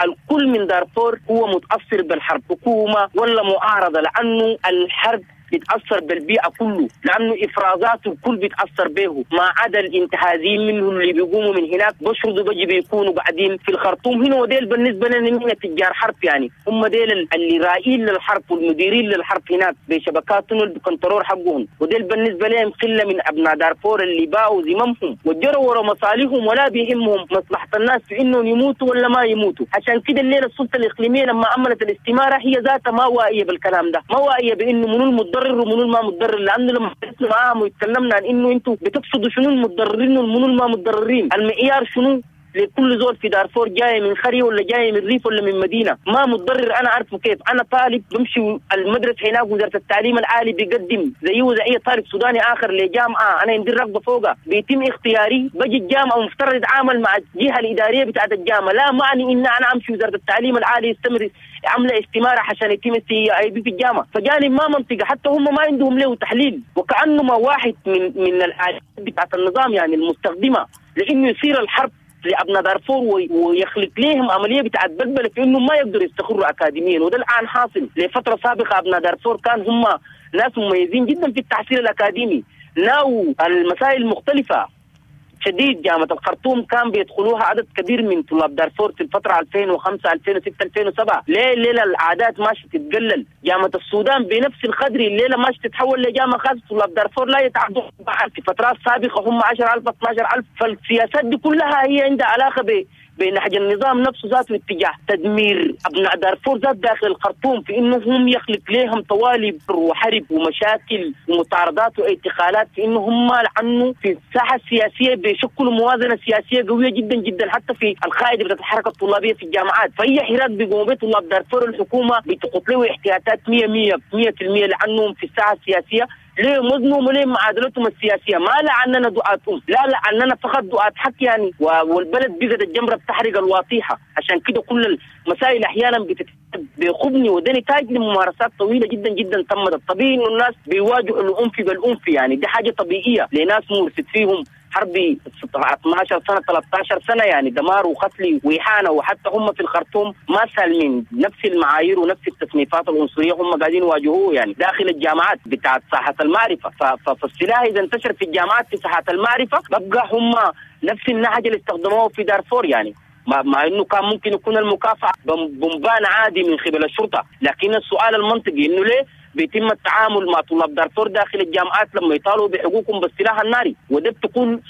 الكل من دارفور هو متأثر بالحرب، حكومة ولا معارضة، لأنه الحرب بيتأثر بالبيئة كله، لأنه إفرازاته الكل بيتأثر به، ما عدا الانتهازيين منهم اللي بيقوموا من هناك بشردوا بيجي بيكونوا قاعدين في الخرطوم هنا، وديل بالنسبة لنا من تجار حرب، يعني هم ديل اللي رائين للحرب والمديرين للحرب هناك بشبكاتهم اللي بكنترول حقهم، وديل بالنسبة لهم قلة من أبناء دارفور اللي باعوا زمامهم وجروا ورا مصالحهم ولا بيهمهم مصلحة الناس في إنهم يموتوا ولا ما يموتوا. عشان كده الليلة السلطة الإقليمية لما عملت الاستمارة هي ذاتها ما واعية بالكلام ده، ما واعية بإنه منو المتضرر ومنو ما متضرر، لانه لما جلسنا معاهم وتكلمنا عن انه انتم بتقصدوا شنو المتضررين ومنو ما متضررين، المعيار شنو لكل زول في دارفور جاي من قرية ولا جاي من ريف ولا من مدينة ما متضرر، انا عارفه كيف. انا طالب بمشي المدرسة هناك، وزارة التعليم العالي بيقدم زيه زي اي طالب سوداني اخر لجامعة، انا عندي الرغبة فوقها، بيتم اختياري، بجي الجامعة ومفترض اتعامل مع الجهة الادارية بتاعت الجامعة، لا معني ان انا امشي وزارة التعليم العالي يستمر عامله استماره عشان يتم اي بي في الجامعة. فجانب ما منطقة، حتى هم ما عندهم له تحليل، وكانه ما واحد من من الالات بتاعت النظام يعني المستخدمة لانه يصير الحرب لأبناء دارفور ويخلق لهم عملية بتاعت بلبلة في إنه ما يقدروا يستقروا أكاديميا، وده الآن حاصل. لفترة سابقة أبناء دارفور كان هم ناس مميزين جدا في التحصيل الأكاديمي، ناو المسائل المختلفة شديد. جامعة الخرطوم كان بيدخلوها عدد كبير من طلاب دارفور في الفترة ألفين وخمسة ألفين وستة ألفين وسبعة. ليه الليلة العادات ماشية تتقلل؟ جامعة السودان بنفس القدر الليلة ماشية تتحول لجامعة خاصة، طلاب دارفور لا يتعدوا في فترات سابقة هم عشرة ألف اثنا عشر ألف. فالسياسات دي كلها هي عندها علاقة ب بنهج النظام نفسه ذاته اتجاه تدمير أبناء دارفور ذات داخل الخرطوم، في إنه هم يخلق لهم طوالب وحرب ومشاكل ومطاردات واعتقالات، في إنه هم لأنه في الساحة السياسية بيشكلوا موازنة سياسية قوية جدا جدا، حتى في القاعدة بتاعت الحركة الطلابية في الجامعات. فهي حراك بيقوموا به طلاب دارفور، الحكومة بتقط له احتياطات مية مية مية في المية، لأنهم في الساحة السياسية ليه وزنهم وليه معادلتهم السياسية؟ ما لعننا دعاة أم، لا لعننا فقط دعاة حق يعني. والبلد بقت الجمرة بتحرق الواطيحة. عشان كده كل المسائل أحيانا بتتحرق بخبني، وده نتاج لممارسات طويلة جدا جدا تمت. الطبيعي إنه الناس بيواجهوا الأنف بالأنف يعني، دي حاجة طبيعية لناس مورست فيهم حرب اثناشر سنة ثلاثة عشر سنة يعني، دمار وقتل وإهانة، وحتى هم في الخرطوم ما سالمين نفس المعايير ونفس التصنيفات العنصرية هم قاعدين يواجهوه يعني داخل الجامعات بتاعت ساحة المعرفة. فالسلاح إذا انتشر في الجامعات في ساحة المعرفة ببقى هم نفس النهج اللي استخدموه في دارفور يعني، مع انه كان ممكن يكون المكافأة بمبان عادي من قبل الشرطة. لكن السؤال المنطقي انه ليه بيتم التعامل مع طلاب دارفور داخل الجامعات لما يطالبوا بحقوقهم بالسلاح الناري؟ وده بتكون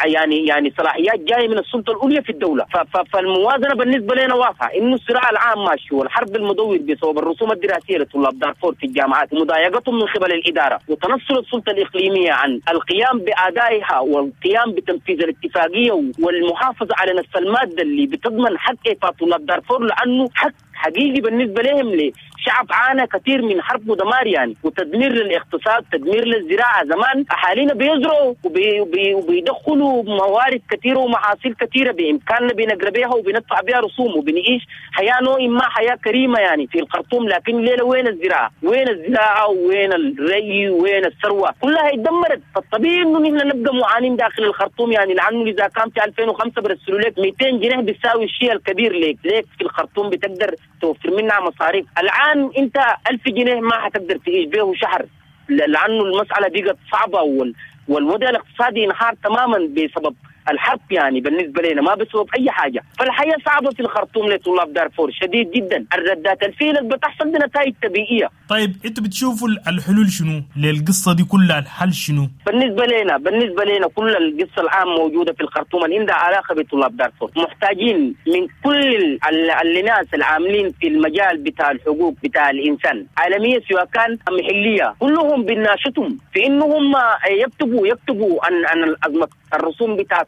يعني يعني صلاحيات جاية من السلطة العليا في الدولة. فالموازنه بالنسبة لنا واضحة، انه الصراع العام ماشي والحرب المدور بسبب الرسوم الدراسية لطلاب دارفور في الجامعات ومضايقتهم من قبل الادارة وتنصل السلطة الاقليمية عن القيام بادائها والقيام بتنفيذ الاتفاقية والمحافظة على نفس المادة اللي بتضمن حق ايفاء طلاب دارفور، لانه حق حقيقي بالنسبة لهم. لشعب عانى كثير من حرب ودمار يعني، وتدمير للاقتصاد، تدمير للزراعة. زمان اهالينا بيزرعوا وبي وبي وبيدخلوا موارد كثيرة ومحاصيل كثيرة بامكاننا بنقرا بها وبندفع بها رسوم وبنعيش حياة نوع ما حياة كريمة يعني في الخرطوم. لكن ليلة وين الزراعة؟ وين الزراعة وين الري وين الثروة؟ كلها اتدمرت. فالطبيعي انه نحن نبقى معانين داخل الخرطوم يعني، لانه اذا كان في ألفين وخمسة برسلوا لك مئتين جنيه بتساوي الشيء الكبير ليك ليك في الخرطوم بتقدر توفر منها مصاريف. الآن أنت ألف جنيه ما حتقدر تعيش به شهر، لأنه المسألة بقت صعبة وال... والوضع الاقتصادي انهار تماما بسبب الحرب يعني بالنسبة لنا، ما بسبب أي حاجة. فالحياة صعبة في الخرطوم لطلاب دارفور شديد جدا. الردات الفيلة اللي بتحصل دي نتائج طبيعية. طيب انتوا بتشوفوا الحلول شنو للقصة دي كلها؟ الحل شنو بالنسبة لنا؟ بالنسبة لنا كل القصة العام موجودة في الخرطوم اللي عندها علاقة بطلاب دارفور، محتاجين من كل الناس العاملين في المجال بتاع الحقوق بتاع الإنسان عالمية سواء كان محلية، كلهم بناشطهم في إنهم يكتبوا يكتبوا عن عن الأزمة الرسوم بتاعت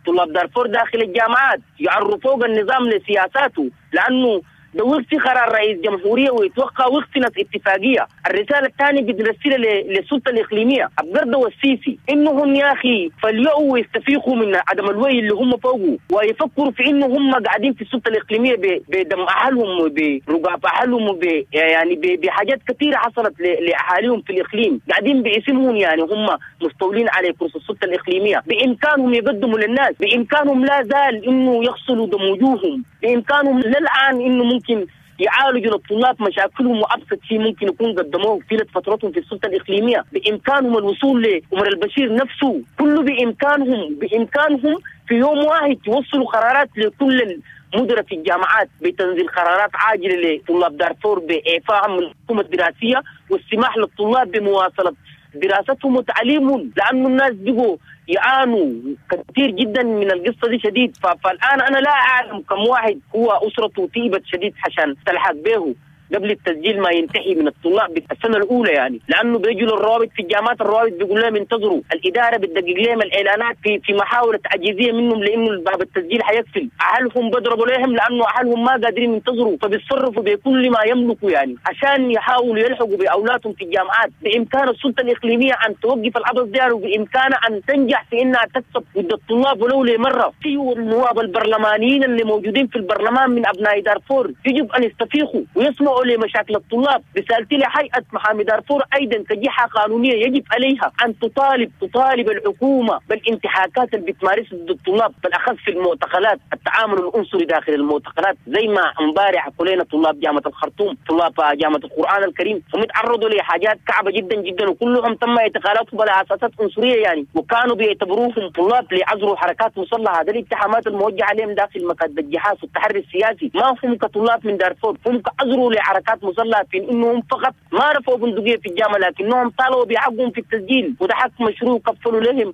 طلاب دارفور داخل الجامعات، يعرفوا النظام لسياساته، لأنه ده وقت قرار رئيس جمهورية ويتوقع وقت ناس اتفاقية. الرسالة الثانية بنرسلها للسلطة الإقليمية أبقردة والسيسي، إنهم يا أخي فليؤوا ويستفيقوا من عدم الوعي اللي هم فوقه، ويفكروا في إنه هم قاعدين في السلطة الإقليمية بدم أهلهم وبرقاب أهلهم وب يعني بحاجات كثيرة حصلت لأهاليهم في الإقليم، قاعدين باسمهم يعني هم مستولين على كرسي السلطة الإقليمية. بإمكانهم يقدموا للناس، بإمكانهم لا زال إنه يغسلوا دم وجوههم، بإمكانهم للآن إنه ممكن يعالجوا للطلاب مشاكلهم وأبسط شيء ممكن يكون قدموه طيلة فترتهم في السلطة الإقليمية. بإمكانهم الوصول لعمر البشير نفسه، كله بإمكانهم بإمكانهم في يوم واحد يوصلوا قرارات لكل المدراء في الجامعات بتنزيل قرارات عاجلة لطلاب دارفور بإعفائهم من الحكومة الدراسية والسماح للطلاب بمواصلة دراستهم وتعليمهم، لأنه الناس بقوا يعانوا كثير جدا من القصة دي شديد. فالآن أنا لا أعلم كم واحد هو أسرته تيبت شديد عشان تلحق به قبل التسجيل ما ينتهي من الطلاب السنة الأولى يعني، لأنه بيجوا للروابط في الجامعات، الروابط بيقول لهم انتظروا، الإدارة بتدقق لهم الإعلانات في في محاولة تعجيزية منهم لأنه باب التسجيل حيقفل، أهلهم بيضربوا لهم لأنه أهلهم ما قادرين ينتظروا، فبيتصرفوا بكل ما يملكوا يعني عشان يحاولوا يلحقوا بأولادهم في الجامعات. بإمكان السلطة الإقليمية أن توقف العبث ده، وبإمكانها أن تنجح في إنها تكسب ضد الطلاب ولو لمرة. في النواب البرلمانيين اللي موجودين في البرلمان من أبناء دارفور يجب أن يستفيقوا ويسمعوا لمشاكل الطلاب. رسالتي لهيئة محامي دارفور أيضا كجهة قانونية يجب عليها أن تطالب تطالب الحكومة بالانتهاكات اللي بتمارسها ضد الطلاب، بالأخص في المعتقلات، التعامل العنصري داخل المعتقلات، زي ما امبارح كلنا طلاب جامعة الخرطوم، طلاب جامعة القرآن الكريم، هم تعرضوا لحاجات كعبة جدا جدا، وكلهم تم اعتقالاتهم على أساسات عنصرية يعني، وكانوا بيعتبروهم طلاب لعزروا حركات مسلحة. هذه الاتهامات الموجهة عليهم داخل مكاتب الجهاز والتحري السياسي ما هم كطلاب من دارفور، هم كعزروا لحركات مسلحة في انهم فقط ما رفعوا بندقية في الجامعة، لكنهم طالبوا بحقهم في التسجيل، وده حق مشروع كفلوا لهم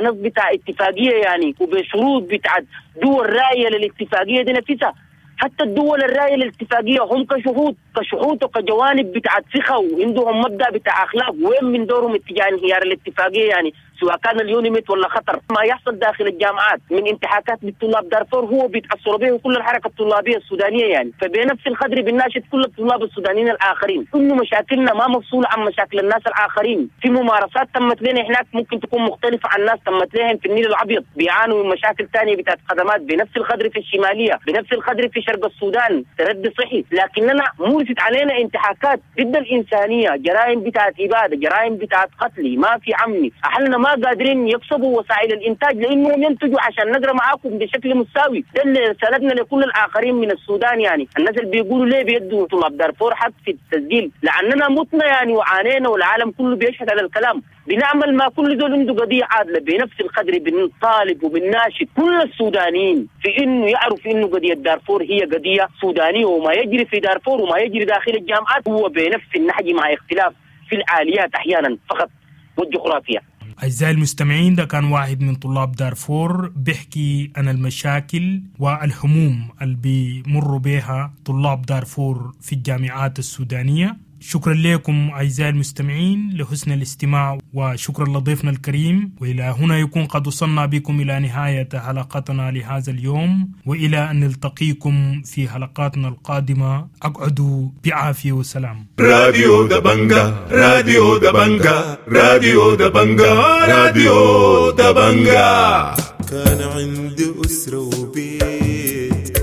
نص بتاع اتفاقية يعني، وبشروط بتاع دول راية للاتفاقية دي نفسها. حتى الدول الراية للاتفاقية هم كشهود كشهود وكجوانب بتاعت ثقة وعندهم مبدأ بتاع أخلاق، وين من دورهم اتجاه انهيار الاتفاقية يعني؟ سواء كان اليونيميت ولا خطر. ما يحصل داخل الجامعات من انتهاكات للطلاب دارفور هو بيتاثروا به كل الحركة الطلابيه السودانية يعني. فبنفس القدر بنناشد كل الطلاب السودانيين الاخرين انه مشاكلنا ما مفصوله عن مشاكل الناس الاخرين. في ممارسات تمت لنا هناك ممكن تكون مختلفة عن الناس تمت لهم في النيل الابيض، بيعانوا من مشاكل ثانية بتاعت خدمات بنفس القدر في الشمالية، بنفس القدر في شرق السودان، تردي صحي، لكننا مورست علينا انتهاكات ضد الانسانية، جرائم بتاعت ابادة، جرائم بتاعت قتل، ما في عمي، اهلنا ما قادرين يكسبوا وسائل الانتاج لانهم ينتجوا عشان نقرا معاكم بشكل مساوي. ده اللي رسالتنا لكل الاخرين من السودان يعني. الناس اللي بيقولوا ليه بيدوا طلاب دارفور حق في التسجيل، لاننا متنا يعني وعانينا والعالم كله بيشهد على الكلام. بنعمل ما كل دول عنده قضية عادلة بنفس القدر، بنطالب وبنناشد كل السودانيين في انه يعرف انه قضية دارفور هي قضية سودانيه، وما يجري في دارفور وما يجري داخل الجامعات هو بنفس النهج مع اختلاف في الآليات احيانا فقط والجغرافيا. أعزائي المستمعين، ده كان واحد من طلاب دارفور بيحكي عن المشاكل والهموم اللي بيمروا بها طلاب دارفور في الجامعات السودانية. شكرا لكم أعزائي المستمعين لحسن الاستماع، وشكرا لضيفنا الكريم. وإلى هنا يكون قد وصلنا بكم إلى نهاية حلقتنا لهذا اليوم، وإلى أن نلتقيكم في حلقاتنا القادمة. أقعدوا بعافية وسلام. راديو دبنجا، راديو دبنجا، راديو دبنجا، راديو دبنجا. كان عندي أسرة وبيت،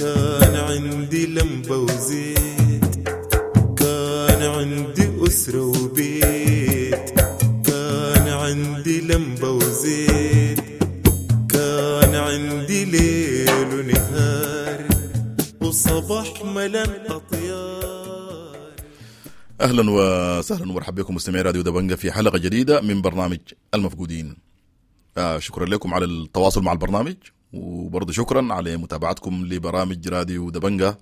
كان عندي لمبة وزيت، كان عندي أسرة وبيت، كان عندي لمبة وزيت، كان عندي ليل ونهار وصباح ملان أطيار. أهلا وسهلا ومرحبا بكم مستمعي راديو دبنجة في حلقة جديدة من برنامج المفقودين. آه شكرا لكم على التواصل مع البرنامج، وبرضه شكرا على متابعتكم لبرامج راديو دبنجة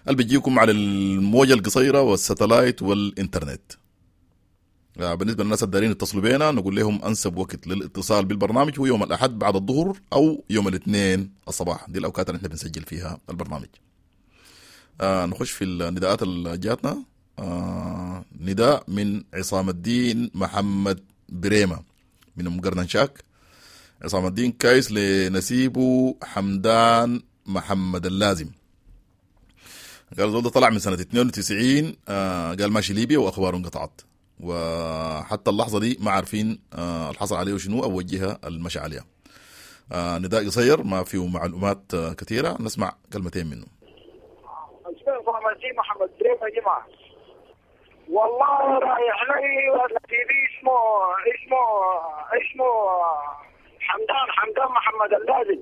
اللي بيجيكم على الموجة القصيرة والستلايت والإنترنت. بالنسبة للناس الدارين يتصلوا بينا، نقول لهم أنسب وقت للاتصال بالبرنامج هو يوم الأحد بعد الظهر أو يوم الاثنين الصباح، دي الأوقات اللي احنا بنسجل فيها البرنامج. آه نخش في النداءات اللي جاتنا. آه نداء من عصام الدين محمد بريمة من أم قرنشاك. عصام الدين كايس لنسيبه حمدان محمد اللازم. قال زول ده طلع من سنة اثنين وتسعين، آه قال ماشي ليبيا وأخباره انقطعت، وحتى اللحظة دي ما عارفين آه الحصل عليه شنو أو وجهها المشى عليها. آه نداء قصير ما فيه معلومات آه كثيرة، نسمع كلمتين منه. محمد بريمة جماعة، والله رايح لي نسيبي اسمه اسمه اسمه حمدان، حمدان محمد اللازم.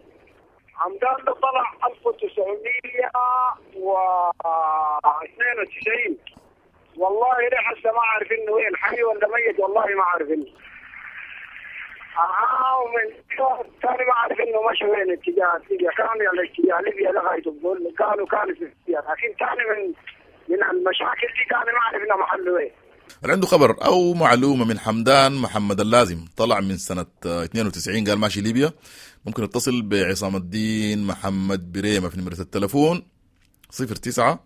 حمدان ده طلع ألف وتسعمية واثنين وتسعين، والله ليه هسه ما عارف انه وين، حي ولا ميت والله ما عارف انه. اه ومن ثاني ما عارف انه مشى وين، اتجاه ليبيا كان على اتجاه ليبيا لغاية بقول كانوا كانوا في ليبيا، لكن ثاني من من المشاكل دي ثاني ما عارف انه محله وين. اللي عنده خبر أو معلومة من حمدان محمد اللازم طلع من سنة اثنين وتسعين قال ماشي ليبيا، ممكن يتصل بعصام الدين محمد بريمة في نمرة التلفون صفر تسعة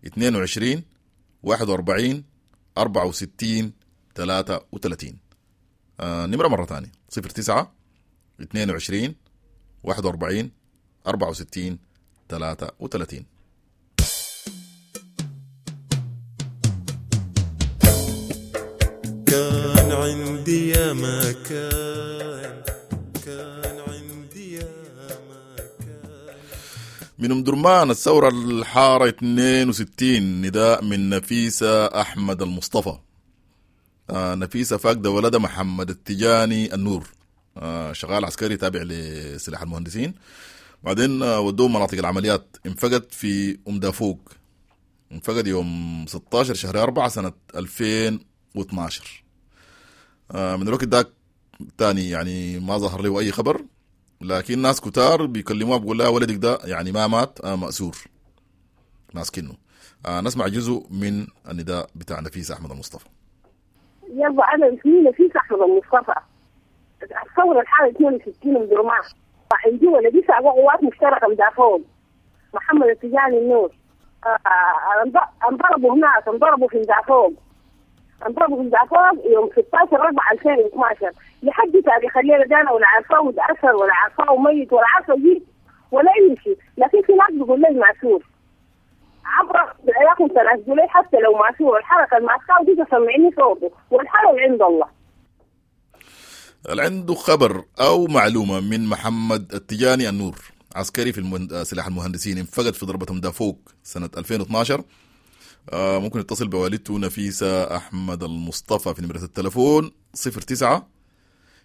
اثنين وعشرين واحد وأربعين أربعة وستين ثلاثة وثلاثين. آه نمرة مرة ثانية صفر تسعة اثنين وعشرين واحد وأربعين أربعة وستين ثلاثة وثلاثين. كان عندي يا ما كان، كان عندي يا ما كان. من أم درمان الثورة الحارة اثنين وستين، نداء من نفيسة أحمد المصطفى. آه نفيسة فاقدة ولدها محمد التجاني النور، آه شغال عسكري تابع لسلاح المهندسين، بعدين آه ودوه مناطق العمليات. انفقد في أم دافوق، انفقد يوم ستة عشر شهر أربعة سنة ألفين واثناشر. آه من الوقت ده تاني يعني ما ظهر له أي خبر، لكن ناس كتار بيكلموها بيقول لها ولدك ده يعني ما مات، آه مأسور ماسكينه. آه نسمع جزء من النداء بتاع نفيسة أحمد المصطفى. يلا أنا اسمي نفيسة أحمد المصطفى، الثورة الحالة اثنين وستين من درمان، عندي ولدي سابق قوات مشتركة مدافعون محمد التجاني النور. آه انضربوا هناك، انضربوا في مدافعون. انضربوا في دافور يوم ستاشر أربعة ألفين واثناشر لحد تاريخ الليلة ده انا ولا عارفاه متاثر ولا عارفاه ميت ولا عارفه جيت ولا اي شيء. لكن في ناس بيقول لي ماسور عبر ياكم تنازلوا لي حتى لو ماسور، الحركة الماسكه دي تسمعني صوته والحرج عند الله. اللي عنده خبر او معلومة من محمد التجاني النور، عسكري في المهند... سلاح المهندسين، انفقد في ضربة مدافوق سنة ألفين واثناشر، آه ممكن يتصل بوالدته نفيسة أحمد المصطفى في نمرة التلفون صفر تسعة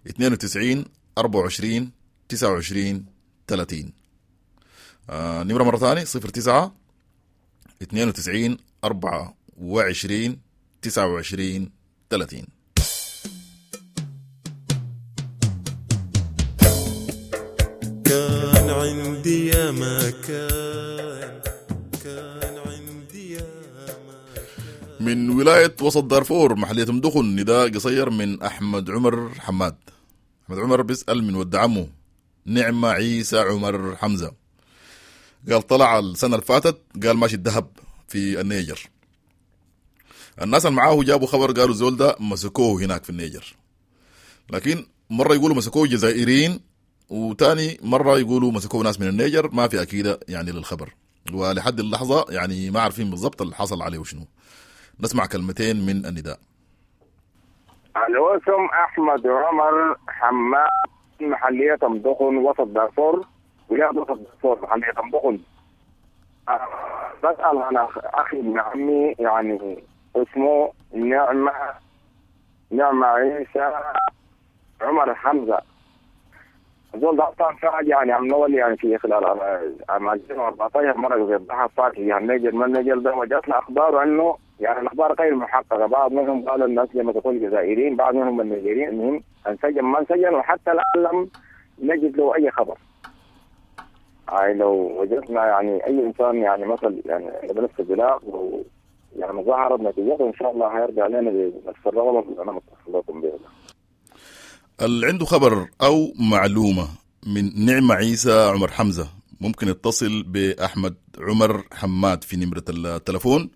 اثنين وتسعين أربعة وعشرين تسعة وعشرين ثلاثين. آه نمرة مرة ثانية صفر تسعة اثنين وتسعين أربعة وعشرين تسعة وعشرين ثلاثين. كان عندي يا ما كان، كان عندي يا ما كان. من ولاية وسط دارفور محلية مدخن، نداء قصير من أحمد عمر حماد. أحمد عمر بيسأل من ود عمه نعمة عيسى عمر حمزة، قال طلع السنة اللي فاتت، قال ماشي الذهب في النيجر. الناس اللي معاه جابوا خبر قالوا الزول ده مسكوه هناك في النيجر، لكن مرة يقولوا مسكوه جزائريين وتاني مرة يقولوا مسكوه ناس من النيجر، ما في أكيدة يعني للخبر، ولحد اللحظة يعني ما عارفين بالضبط اللي حصل عليه وشنو. نسمع كلمتين من النداء. الوسم أحمد عمر حماد، محلية مدخن وسط دارفور، ولاية وسط دارفور محلية مدخن. بسأل عن أخي ابن عمي يعني اسمه نعمة نعمة عيسى عمر حمزة. زول ده أصلا فعل يعني عم نولي يعني في خلال عام ألفين وأربعتاشر مرة في الضحى فات يعني النيجر ما النيجر ده، وجاتنا أخبار عنه يعني الأخبار غير محققة، بعض منهم قالوا الناس لما تقول جزائريين، بعض منهم النيجريين. المهم انسجن ما انسجن، وحتى الآن لم نجد له أي خبر. يعني لو وجدنا يعني أي إنسان يعني مثل يعني بنفس البلاغ و يعني ظهرت نتيجته إن شاء الله هيرجع لنا بنفس الرغبة اللي أنا متصل لكم بها. اللي عنده خبر أو معلومة من نعمة عيسى عمر حمزة ممكن يتصل بأحمد عمر حماد في نمرة التلفون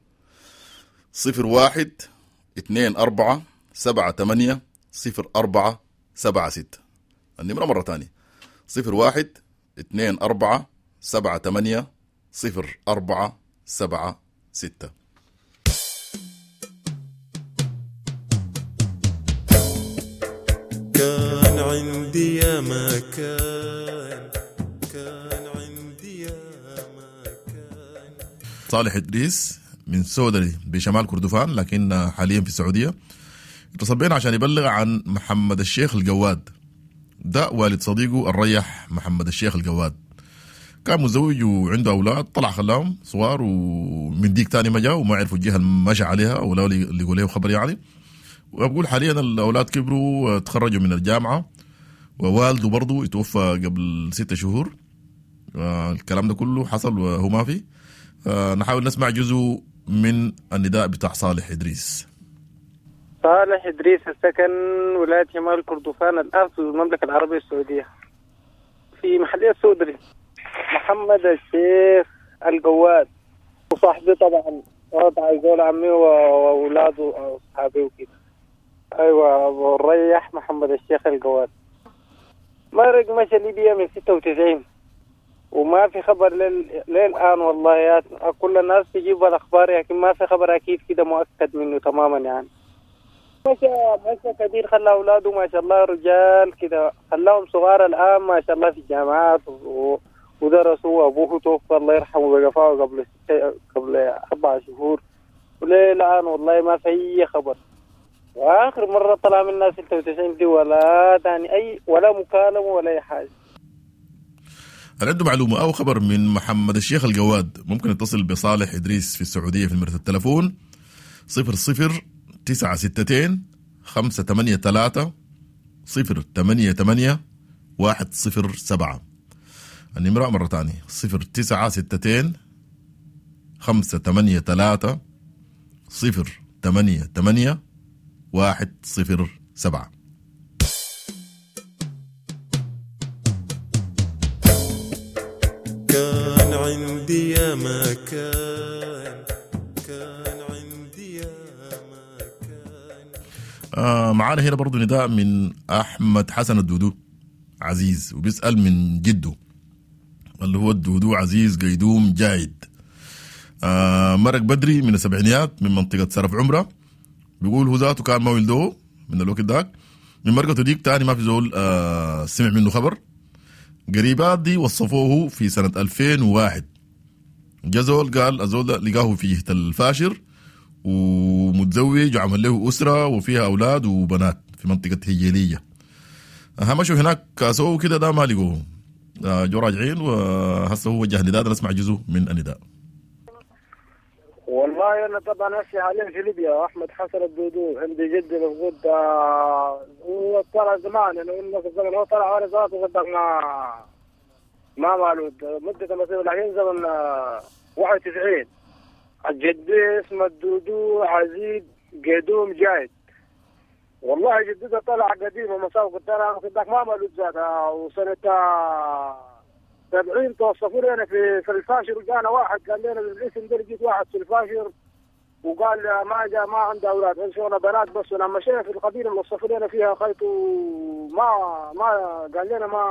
صفر واحد اثنين أربعة سبعة ثمانية صفر أربعة سبعة ستة. النمرة مرة تانية صفر واحد اثنين أربعة سبعة ثمانية صفر أربعة سبعة ستة. كان عندي يا ما كان، كان عندي يا ما كان. صالح إدريس من سودري بشمال كردفان لكن حاليا في السعودية، اتصل بينا عشان يبلغ عن محمد الشيخ الجواد. ده والد صديقه الريح محمد الشيخ الجواد، كان متزوج وعنده أولاد، طلع خلاهم صغار ومن ديك تاني ما جاء وما عرفوا الجهة اللي مشى عليها ولا اللي يقول له خبر يعني. وبقول حاليا الأولاد كبروا تخرجوا من الجامعة، ووالده برضو يتوفى قبل ستة شهور. الكلام ده كله حصل وهو ما في. نحاول نسمع جزء من النداء بتاع صالح إدريس. صالح إدريس السكن ولاية شمال كردفان الآن في المملكة العربية السعودية في محلية سودري. محمد الشيخ الجواد وصاحبي طبعا، طبعا زول عمي وأولاده وأصحابي وكده. أيوة أبو الريح محمد الشيخ الجواد مرق مشى ليبيا من ستة وتسعين وما في خبر لل... للآن والله. يا كل الناس تجيب الأخبار لكن ما في خبر أكيد كده مؤكد منه تماما يعني. مشى مشى كبير خلى أولاده ما شاء الله رجال كده، خلاهم صغار الآن ما شاء الله في الجامعات و... ودرسوا. أبوه توفى الله يرحمه بقفاه قبل ست... قبل أربع شهور وللآن والله ما في أي خبر. وآخر مرة طلع منا ستة وتسعين دي ولا تاني أي ولا مكالمة ولا أي حاجة. هل عنده معلومة أو خبر من محمد الشيخ الجواد ممكن يتصل بصالح إدريس في السعودية في نمرة التلفون صفر صفر تسعة ستتين خمسة ثمانية ثلاثة صفر ثمانية ثمانية واحد صفر سبعة. النمرة مرة تانية صفر تسعة ستتين خمسة ثمانية ثلاثة صفر ثمانية ثمانية واحد صفر سبعة. كان عندي يا ما كان، كان عندي يا ما كان. آه معانا هنا برضو نداء من أحمد حسن الدودو عزيز، وبيسأل من جده اللي هو الدودو عزيز قيدوم جايد. آه مرق بدري من السبعينيات من منطقة سرف عمرة، بيقول هو ذاته كان ما ولدوه من الوقت داك، من مرقته ديك تاني ما في زول آه سمع منه خبر. قريبات دي وصفوه في سنة ألفين وواحد، جزول قال الزول ده لقاه في جهة الفاشر ومتزوج وعمل له أسرة وفيها أولاد وبنات في منطقة هجيلية. أهم شو هناك كاسوه كده ده ما لقوه، جو راجعين وهسه هو وجه نداء، نسمع جزء من النداء. والله أنا طبعا هسه حاليا في ليبيا، أحمد حسن الدودو، عندي جدي مفقود، هو طلع زمان، أنا قلنا في الزمن هو طلع وأنا ذاته صدق ما ما مالود مدة مسيرة الحين زمن واحد وتسعين. جدي اسمه الدودو عزيز قدوم جايد. والله جدته طلع قديم ومساوق طلع صدق ما مالود ذاتها، وسنة سبعين توصفوا لنا في في الفاشر، وجانا واحد قال لنا بالاسم ده، لقيت واحد في الفاشر وقال ما جاء ما عنده اولاد، شغله بنات بس. ولما مشينا في القبيلة اللي وصفوا لنا فيها خيط ما ما قال لنا ما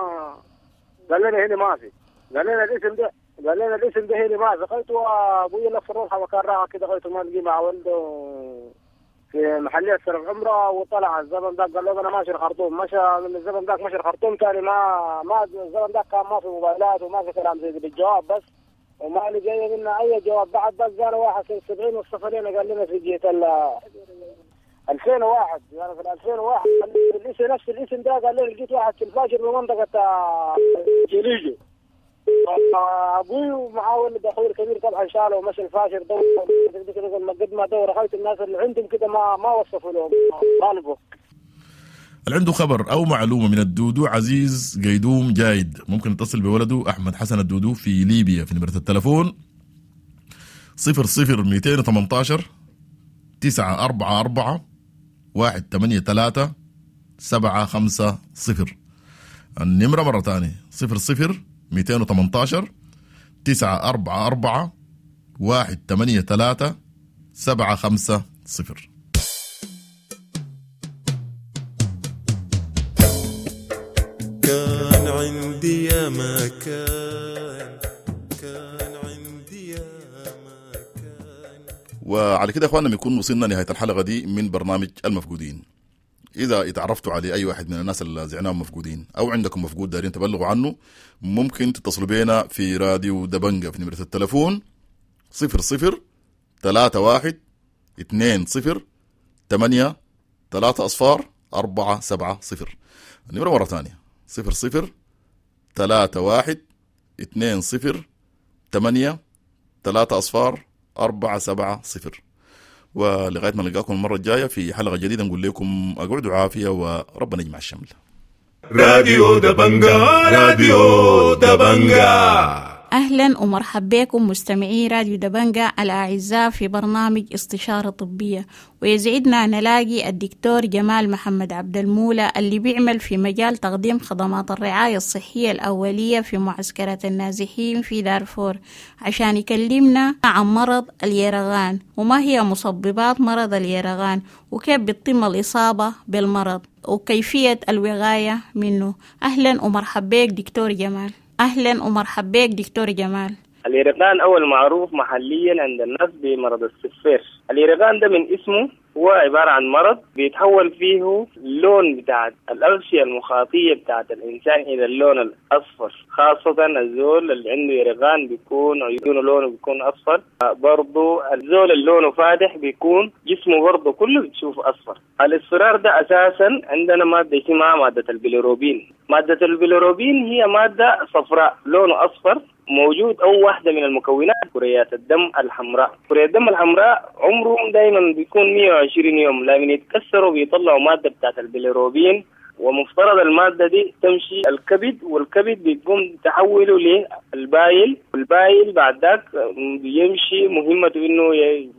قال لنا هنا ما في، قال لنا الاسم ده قال لنا الاسم ده هنا ما في. خيط ابوي لف الروحه وكان راعى كده، خيط ما لقي مع ولده في محلية سرف عمره، وطلع الزمن ذاك قال له انا ماشي الخرطوم، مشى من الزمن ذاك مشى الخرطوم ثاني ما ما الزمن ذاك كان ما في موبايلات وما في كلام زي بالجواب بس، وما لقينا منا اي جواب بعد. بس قال واحد سنة سبعين والصفرين قال لنا في جهة ال ألفين وواحد، يعني في ألفين وواحد الاسم نفس الاسم ده قال لنا لقيت واحد في الفاجر بمنطقة جليجو. ابوي ومعاه ولد اخوي الكبير طبعا شاله ومشى الفاشر دور قد ما دور خلت الناس اللي عندهم كده ما ما وصفوا لهم طالبوا. اللي عنده خبر او معلومة من الدودو عزيز قيدوم جايد ممكن يتصل بولده احمد حسن الدودو في ليبيا في نمره التلفون صفر صفر مئتين وثمانية عشر تسعة أربعة أربعة واحد ثمانية ثلاثة سبعة خمسة صفر. النمرة مرة ثانية صفر صفر مئتين وثمانية عشر تسعة أربعة أربعة واحد ثمانية ثلاثة سبعة خمسة صفر. كان عندي يا ما كان، كان عندي يا ما كان. وعلى كده يا اخواننا بنكون وصلنا نهاية الحلقة دي من برنامج المفقودين. إذا اتعرفتوا على أي واحد من الناس اللي زعناهم مفقودين أو عندكم مفقود دارين تبلغوا عنه، ممكن تتصلوا بينا في راديو دبنجة في نمرة التلفون صفر صفر ثلاثة واحد اثنين صفر ثمانية ثلاثة أصفار أربعة سبعة صفر. النمرة مرة ثانية صفر صفر ثلاثة واحد اثنين صفر ثمانية ثلاثة أصفار أربعة سبعة صفر. ولغاية ما نلقاكم المرة الجاية في حلقة جديدة نقول لكم أقعدوا عافية وربنا يجمع الشمل. راديو دبنجا، راديو دبنجا. أهلا ومرحبا بكم مستمعي راديو دبنجا الأعزاء في برنامج استشارة طبية، ويسعدنا نلاقي الدكتور جمال محمد عبد المولى اللي بيعمل في مجال تقديم خدمات الرعاية الصحية الأولية في معسكرات النازحين في دارفور، عشان يكلمنا عن مرض اليرغان وما هي مسببات مرض اليرغان وكيف بتتم الإصابة بالمرض وكيفية الوقاية منه. أهلا ومرحبا بك دكتور جمال. أهلا ومرحبا بك دكتور جمال. اليرغان أول معروف محليا عند الناس بمرض السفير. اليرغان ده من اسمه هو عبارة عن مرض بيتحول فيه اللون بتاع الأغشية المخاطية بتاعة الإنسان إلى اللون الأصفر، خاصة الزول اللي عنده يرغان بيكون عيونه لونه بيكون أصفر، برضو الزول اللي لونه فاتح بيكون جسمه برضو كله بتشوف أصفر. الاصفرار ده أساسا عندنا مادة اسمها مادة البيليروبين. مادة البيليروبين هي مادة صفراء لونه أصفر، موجود أو واحدة من المكونات كريات الدم الحمراء. كريات الدم الحمراء عمرهم دايما بيكون مية وعشرين يوم، لمن يتكسروا بيطلعوا مادة بتاعت البيليروبين، ومفترض المادة دي تمشي الكبد، والكبد بيقوم تحوله لل bile، وال bile بعد ذاك بيمشي مهمته إنه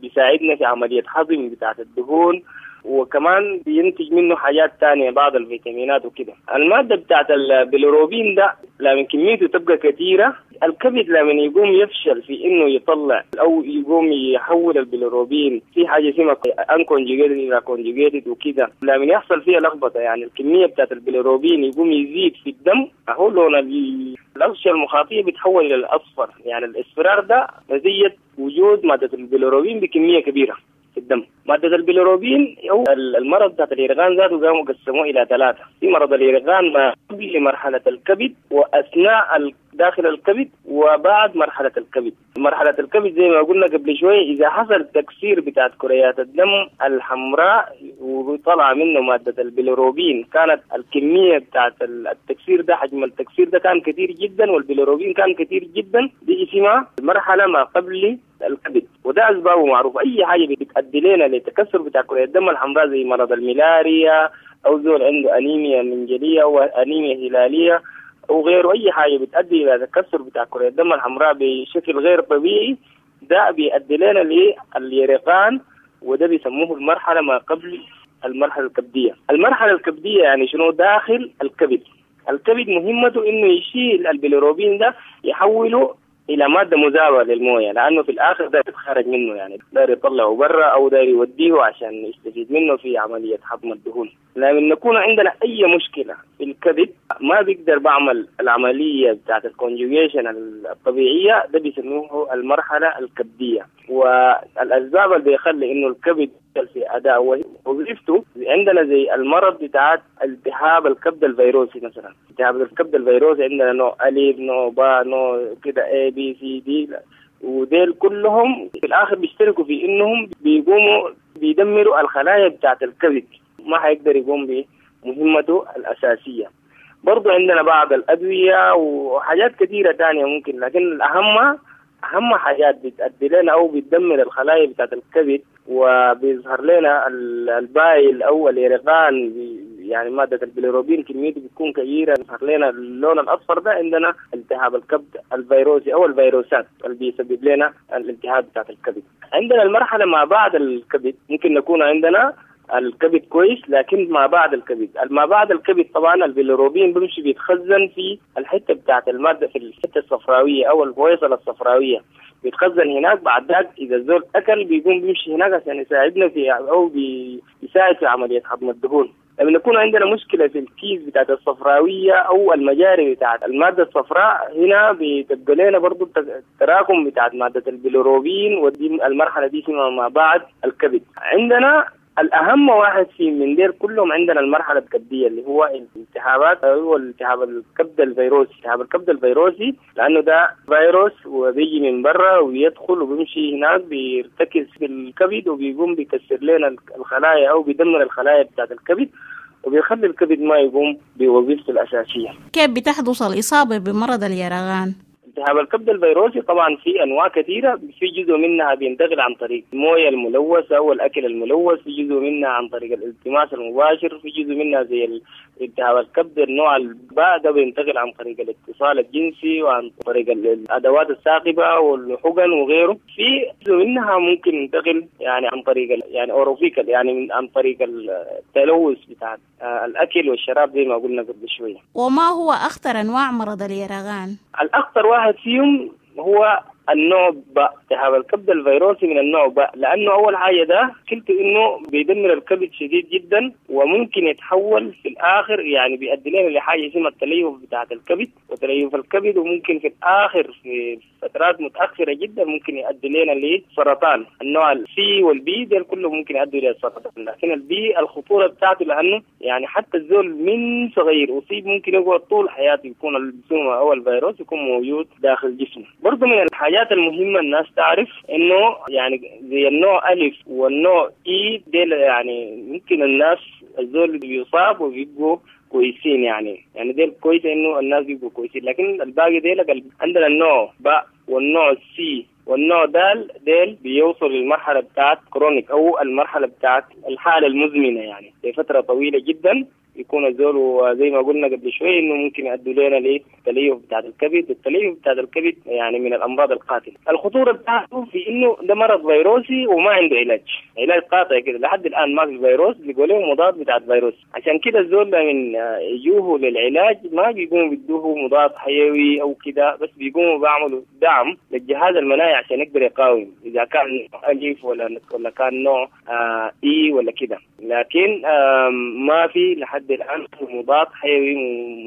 بيساعدنا في عملية هضم بتاعت الدهون وكمان بينتج منه حاجات تانية بعض الفيتامينات وكده. المادة بتاعت البيليروبين ده لما كميته تبقى كثيرة الكبد لما يقوم يفشل في انه يطلع او يقوم يحول البيليروبين في حاجة اسمها unconjugated الى conjugated وكده، لما يحصل فيها لخبطة يعني الكمية بتاعت البيليروبين يقوم يزيد في الدم، اهو لون الاغشيه المخاطيه بيتحول الى الاصفر. يعني الاصفرار ده نتيجة وجود مادة البيليروبين بكمية كبيرة في الدم. مادة البيليروبين أو المرض بتاعت اليرقان ذاته قاموا قسموه إلى ثلاثة، في مرض اليرقان ما قبل مرحلة الكبد وأثناء داخل الكبد وبعد مرحلة الكبد. مرحلة الكبد زي ما قلنا قبل شوية إذا حصل تكسير بتاعت كريات الدم الحمراء وطلع منه مادة البيليروبين، كانت الكمية بتاعت التكسير ده حجم التكسير ده كان كثير جدا والبيليروبين كان كثير جدا، دي اسمها المرحلة ما قبل الكبد. وده أسبابه معروفة، أي حاجة بتؤدي لنا لتكسر بتاع كريات الدم الحمراء زي مرض الملاريا أو زول عنده أنيميا منجلية أو أنيميا هلالية أو غيره، أي حاجة بتؤدي إلى تكسر بتاع كريات الدم الحمراء بشكل غير طبيعي ده بيؤدي لنا لليرقان، وده بيسموه المرحلة ما قبل المرحلة الكبدية. المرحلة الكبدية يعني شنو؟ داخل الكبد. الكبد مهمته إنه يشيل البيليروبين ده يحوله إلى مادة مذابة للموية، لأنه في الآخر ده يتخرج منه، يعني داير يطلعه برا أو داير يوديه عشان يستفيد منه في عملية هضم الدهون. لما نكون عندنا أي مشكلة في الكبد ما بيقدر بعمل العملية بتاعت ال conjugation الطبيعية، ده بيسموه المرحلة الكبدية. والأسباب اللي بيخلي إنه الكبد في أداء وظيفته عندنا زي المرض بتاعت التهاب الكبد الفيروسي مثلا. التهاب الكبد الفيروسي عندنا نوع ألف نوع باء نوع كده A B C D، وديل كلهم في الآخر بيشتركوا في إنهم بيقوموا بيدمروا الخلايا بتاعت الكبد، ما حيقدر يقوم بمهمته الأساسية. برضو عندنا بعض الأدوية وحاجات كثيرة تانية ممكن، لكن الأهم أهم حاجات بتأدي لنا أو بتدمر الخلايا بتاعت الكبد وبيظهر لنا ال bile أو اليرقان، يعني مادة البيليروبين كميته بتكون كبيرة، بيظهر لنا اللون الأصفر ده. عندنا التهاب الكبد الفيروسي أو الفيروسات اللي بيسبب لنا الالتهاب بتاعت الكبد. عندنا المرحلة ما بعد الكبد، ممكن نكون عندنا الكبد كويس لكن ما بعد الكبد، ما بعد الكبد طبعا البيليروبين بيمشي بيتخزن في الحتة بتاعت المادة في الحتة الصفراويه او الفويصله الصفراويه، بيتخزن هناك. بعد ذاك اذا الزول اكل بيقوم بيمشي هناك عشان يساعدنا في او بيساعد في عملية هضم الدهون. لما نكون عندنا مشكلة في الكيس بتاعت الصفراويه او المجاري بتاعت المادة الصفراء، هنا بتبقى لنا برضه التراكم بتاعت مادة البيليروبين، ودي المرحلة دي اسمها ما بعد الكبد. عندنا الأهم واحد في من دير كلهم عندنا المرحلة الكبدية اللي هو الالتهابات، هو التهاب الكبد الفيروسي. التهاب الكبد الفيروسي لأنه ده فيروس وبيجي من برا ويدخل وبيمشي هناك بيرتكز في الكبد وبيقوم بيكسر لنا الخلايا أو بيدمر الخلايا بتاعت الكبد وبيخلي الكبد ما يقوم بوظيفته الأساسية. كيف بتحدث الإصابة بمرض اليرقان؟ التهاب الكبد الفيروسي طبعا في انواع كثيرة، في جزء منها بينتقل عن طريق المويه الملوثة والاكل الملوث، في جزء منها عن طريق الالتماس المباشر، في جزء منها زي التهاب الكبد النوع الباء ده بينتقل عن طريق الاتصال الجنسي وعن طريق الادوات الثاقبه والحقن وغيره، في جزء منها ممكن ينتقل يعني عن طريق يعني orophecal يعني عن طريق التلوث بتاع الاكل والشراب زي ما قلنا قبل شوية. وما هو اخطر انواع مرض اليرقان؟ الاخطر واحد فيهم هو النوع باء، التهاب الكبد الفيروسي من النوع باء، لأنه أول حاجة ده مشكلته إنه بيدمر الكبد شديد جدا وممكن يتحول في الآخر يعني بيؤدي لنا لحاجة اسمها التليف بتاعة الكبد وتليف الكبد، وممكن في الآخر في فترات متأخرة جدا ممكن يؤدي لنا لسرطان. النوع ال C وال B ده كله ممكن يؤدي للسرطان، لكن ال B الخطورة بتاعته لأنه يعني حتى الزول من صغير أصيب ممكن يقعد طول حياته يكون السم أو الفيروس يكون موجود داخل جسمه. برضه من الحاجات المهمة الناس تعرف إنه يعني زي النوع ألف والنوع إي ديل يعني ممكن الناس الزول بيصاب وبيبقوا كويسين، يعني يعني ديل كويس إنه الناس بيبقوا كويسين، لكن الباقي ديل عندنا النوع باء والنوع سي والنوع دال ديل بيوصل للمرحلة بتاعت chronic أو المرحلة بتاعت الحالة المزمنة يعني لفترة طويلة جدا. يكون الزول، وزي ما قلنا قبل شوي انه ممكن يؤدوا لنا للتليف بتاع الكبد، والتليف بتاع الكبد يعني من الامراض القاتلة. الخطورة بتاعته في انه ده مرض فيروسي وما عنده علاج، علاج قاطع كده لحد الان ما في فيروس بيقولوا له مضاد بتاع الفيروس. عشان كده الزول من يجوه للعلاج ما بيقوموا بيدوه مضاد حيوي او كده، بس بيقوموا بيعملوا دعم للجهاز المناعي عشان يقدر يقاوم اذا كان الف ولا ولا كان نوع آه اي ولا كده. لكن آه ما في لحد الان مضاد حيوي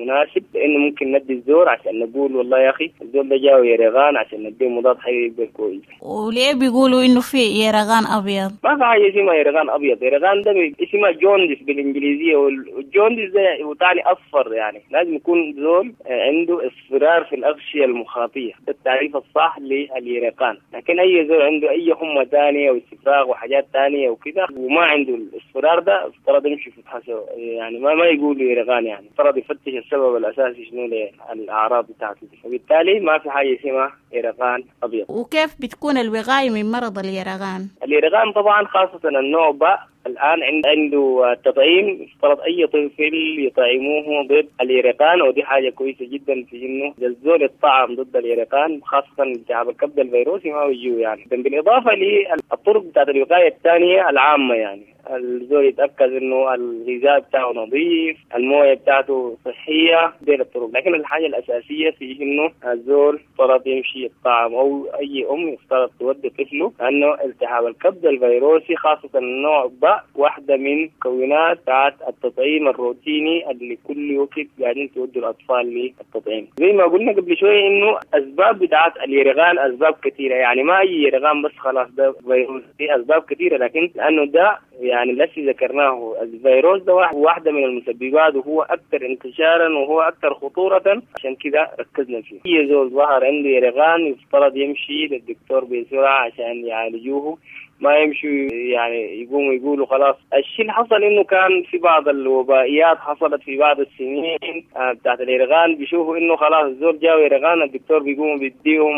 مناسب لانه ممكن ندي الزور عشان نقول والله يا اخي الزول ده جاوي يرغان عشان نديه مضاد حيوي يبقى كويس. وليه بيقولوا انه في يرغان ابيض؟ ما في حاجة اسمها يرغان ابيض، يرغان ده اسمها jaundice بالانجليزية، وال jaundice ده وتعني اصفر، يعني لازم يكون زول عنده اصفرار في الاغشيه المخاطيه، ده التعريف الصح لليرقان. لكن اي زول عنده اي حمى ثانية واستفراغ وحاجات ثانية وكده وما عنده الاصفرار ده افترض يمشي في فحصه، يعني ما ما يقول يرقان، يعني افترض يفتش السبب الاساسي شنو للاعراض بتاعته، وبالتالي ما في حاجة اسمها يرقان ابيض. وكيف بتكون الوقاية من مرض اليرقان؟ اليرقان طبعا خاصة النوع باء الآن عنده تطعيم، افترض أي طفل يطعموه ضد اليرقان، ودي حاجة كويسة جدا في إنه الزول الطعم ضد اليرقان خاصة التهاب الكبد الفيروسي ما بيجيه يعني. بالإضافة للطرق بتاعت الوقاية الثانية العامة، يعني الزول يتأكد إنه الغذاء بتاعه نظيف، الموية بتاعته صحية، دي الطرق. لكن الحاجة الأساسية في إنه الزول افترض يمشي الطعام أو أي أم يفترض تودي طفله، لأنه التهاب الكبد الفيروسي خاصة النوع باء واحدة من مكونات بتاعت التطعيم الروتيني اللي كل وقت قاعدين تودوا الأطفال للتطعيم. زي ما قلنا قبل شوية إنه أسباب بتاعت اليرغان أسباب كثيرة، يعني ما أي يرغان بس خلاص ده فيروس، في أسباب كثيرة، لكن لأنه ده يعني الذي ذكرناه الفيروس ده واحدة من المسببات، وهو أكثر انتشارا وهو أكثر خطورة، عشان كده ركزنا فيه. أي زول ظهر عنده يرغان يفترض يمشي للدكتور بسرعة عشان يعالجوه، ما يمشوا يعني يقوموا يقولوا خلاص. الشيء اللي حصل انه كان في بعض الوبائيات حصلت في بعض السنين بتاعت اليرغان، بيشوفوا انه خلاص الزول جاوا يرغان الدكتور بيقوموا بيديهم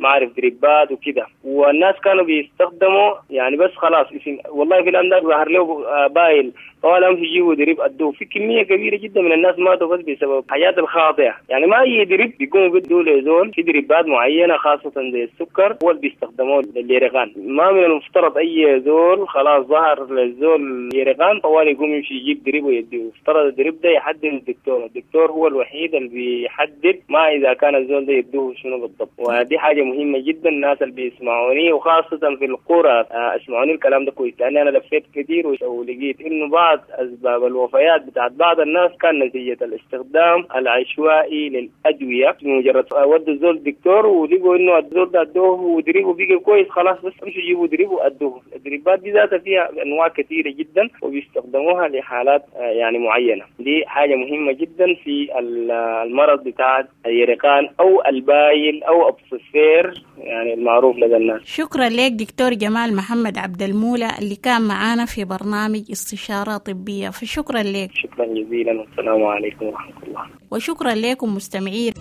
ما اعرف دريبات وكده، والناس كانوا بيستخدموا يعني بس خلاص اسم والله في الان ده ظهر له بايل طوال امشي يجيبوا drip ادوه. في كمية كبيرة جدا من الناس ماتوا بس بسبب حاجات الخاطئة، يعني ما اي drip بيقوموا بيدوا لزول، في دريبات معينة خاصة زي السكر هو اللي بيستخدموه لليرغان. ما من المفترض اي زول خلاص ظهر للزول يرغان طوال يقوم يمشي يجيب drip ويديه، افترض ال drip ده يحدد الدكتور، الدكتور هو الوحيد اللي بيحدد ما اذا كان الزول ده يدوه شنو بالضبط. ودي حاجة مهمة جدا الناس اللي بيسمعوني وخاصة في القرى اسمعوني الكلام ده كويس، لأن أنا لفيت كثير ولقيت إنه بعض أسباب الوفيات بتاعت بعض الناس كان نتيجة الاستخدام العشوائي للأدوية، مجرد ودوا الزول الدكتور ولقوا إنه الزول ده أدوه ودريبه بقى كويس خلاص بس امشوا جيبوا دريبه وأدوه. الدريبات دي ذاتها فيها أنواع كثيرة جدا وبيستخدموها لحالات يعني معينة. دي حاجة مهمة جدا في المرض بتاع اليرقان أو البايل أو أبصفير يعني المعروف لدى الناس. شكرا لك دكتور جمال محمد عبد المولى اللي كان معانا في برنامج استشارة طبية، فشكرا لك. شكرا جزيلا والسلام عليكم ورحمة الله. وشكرا لكم مستمعين.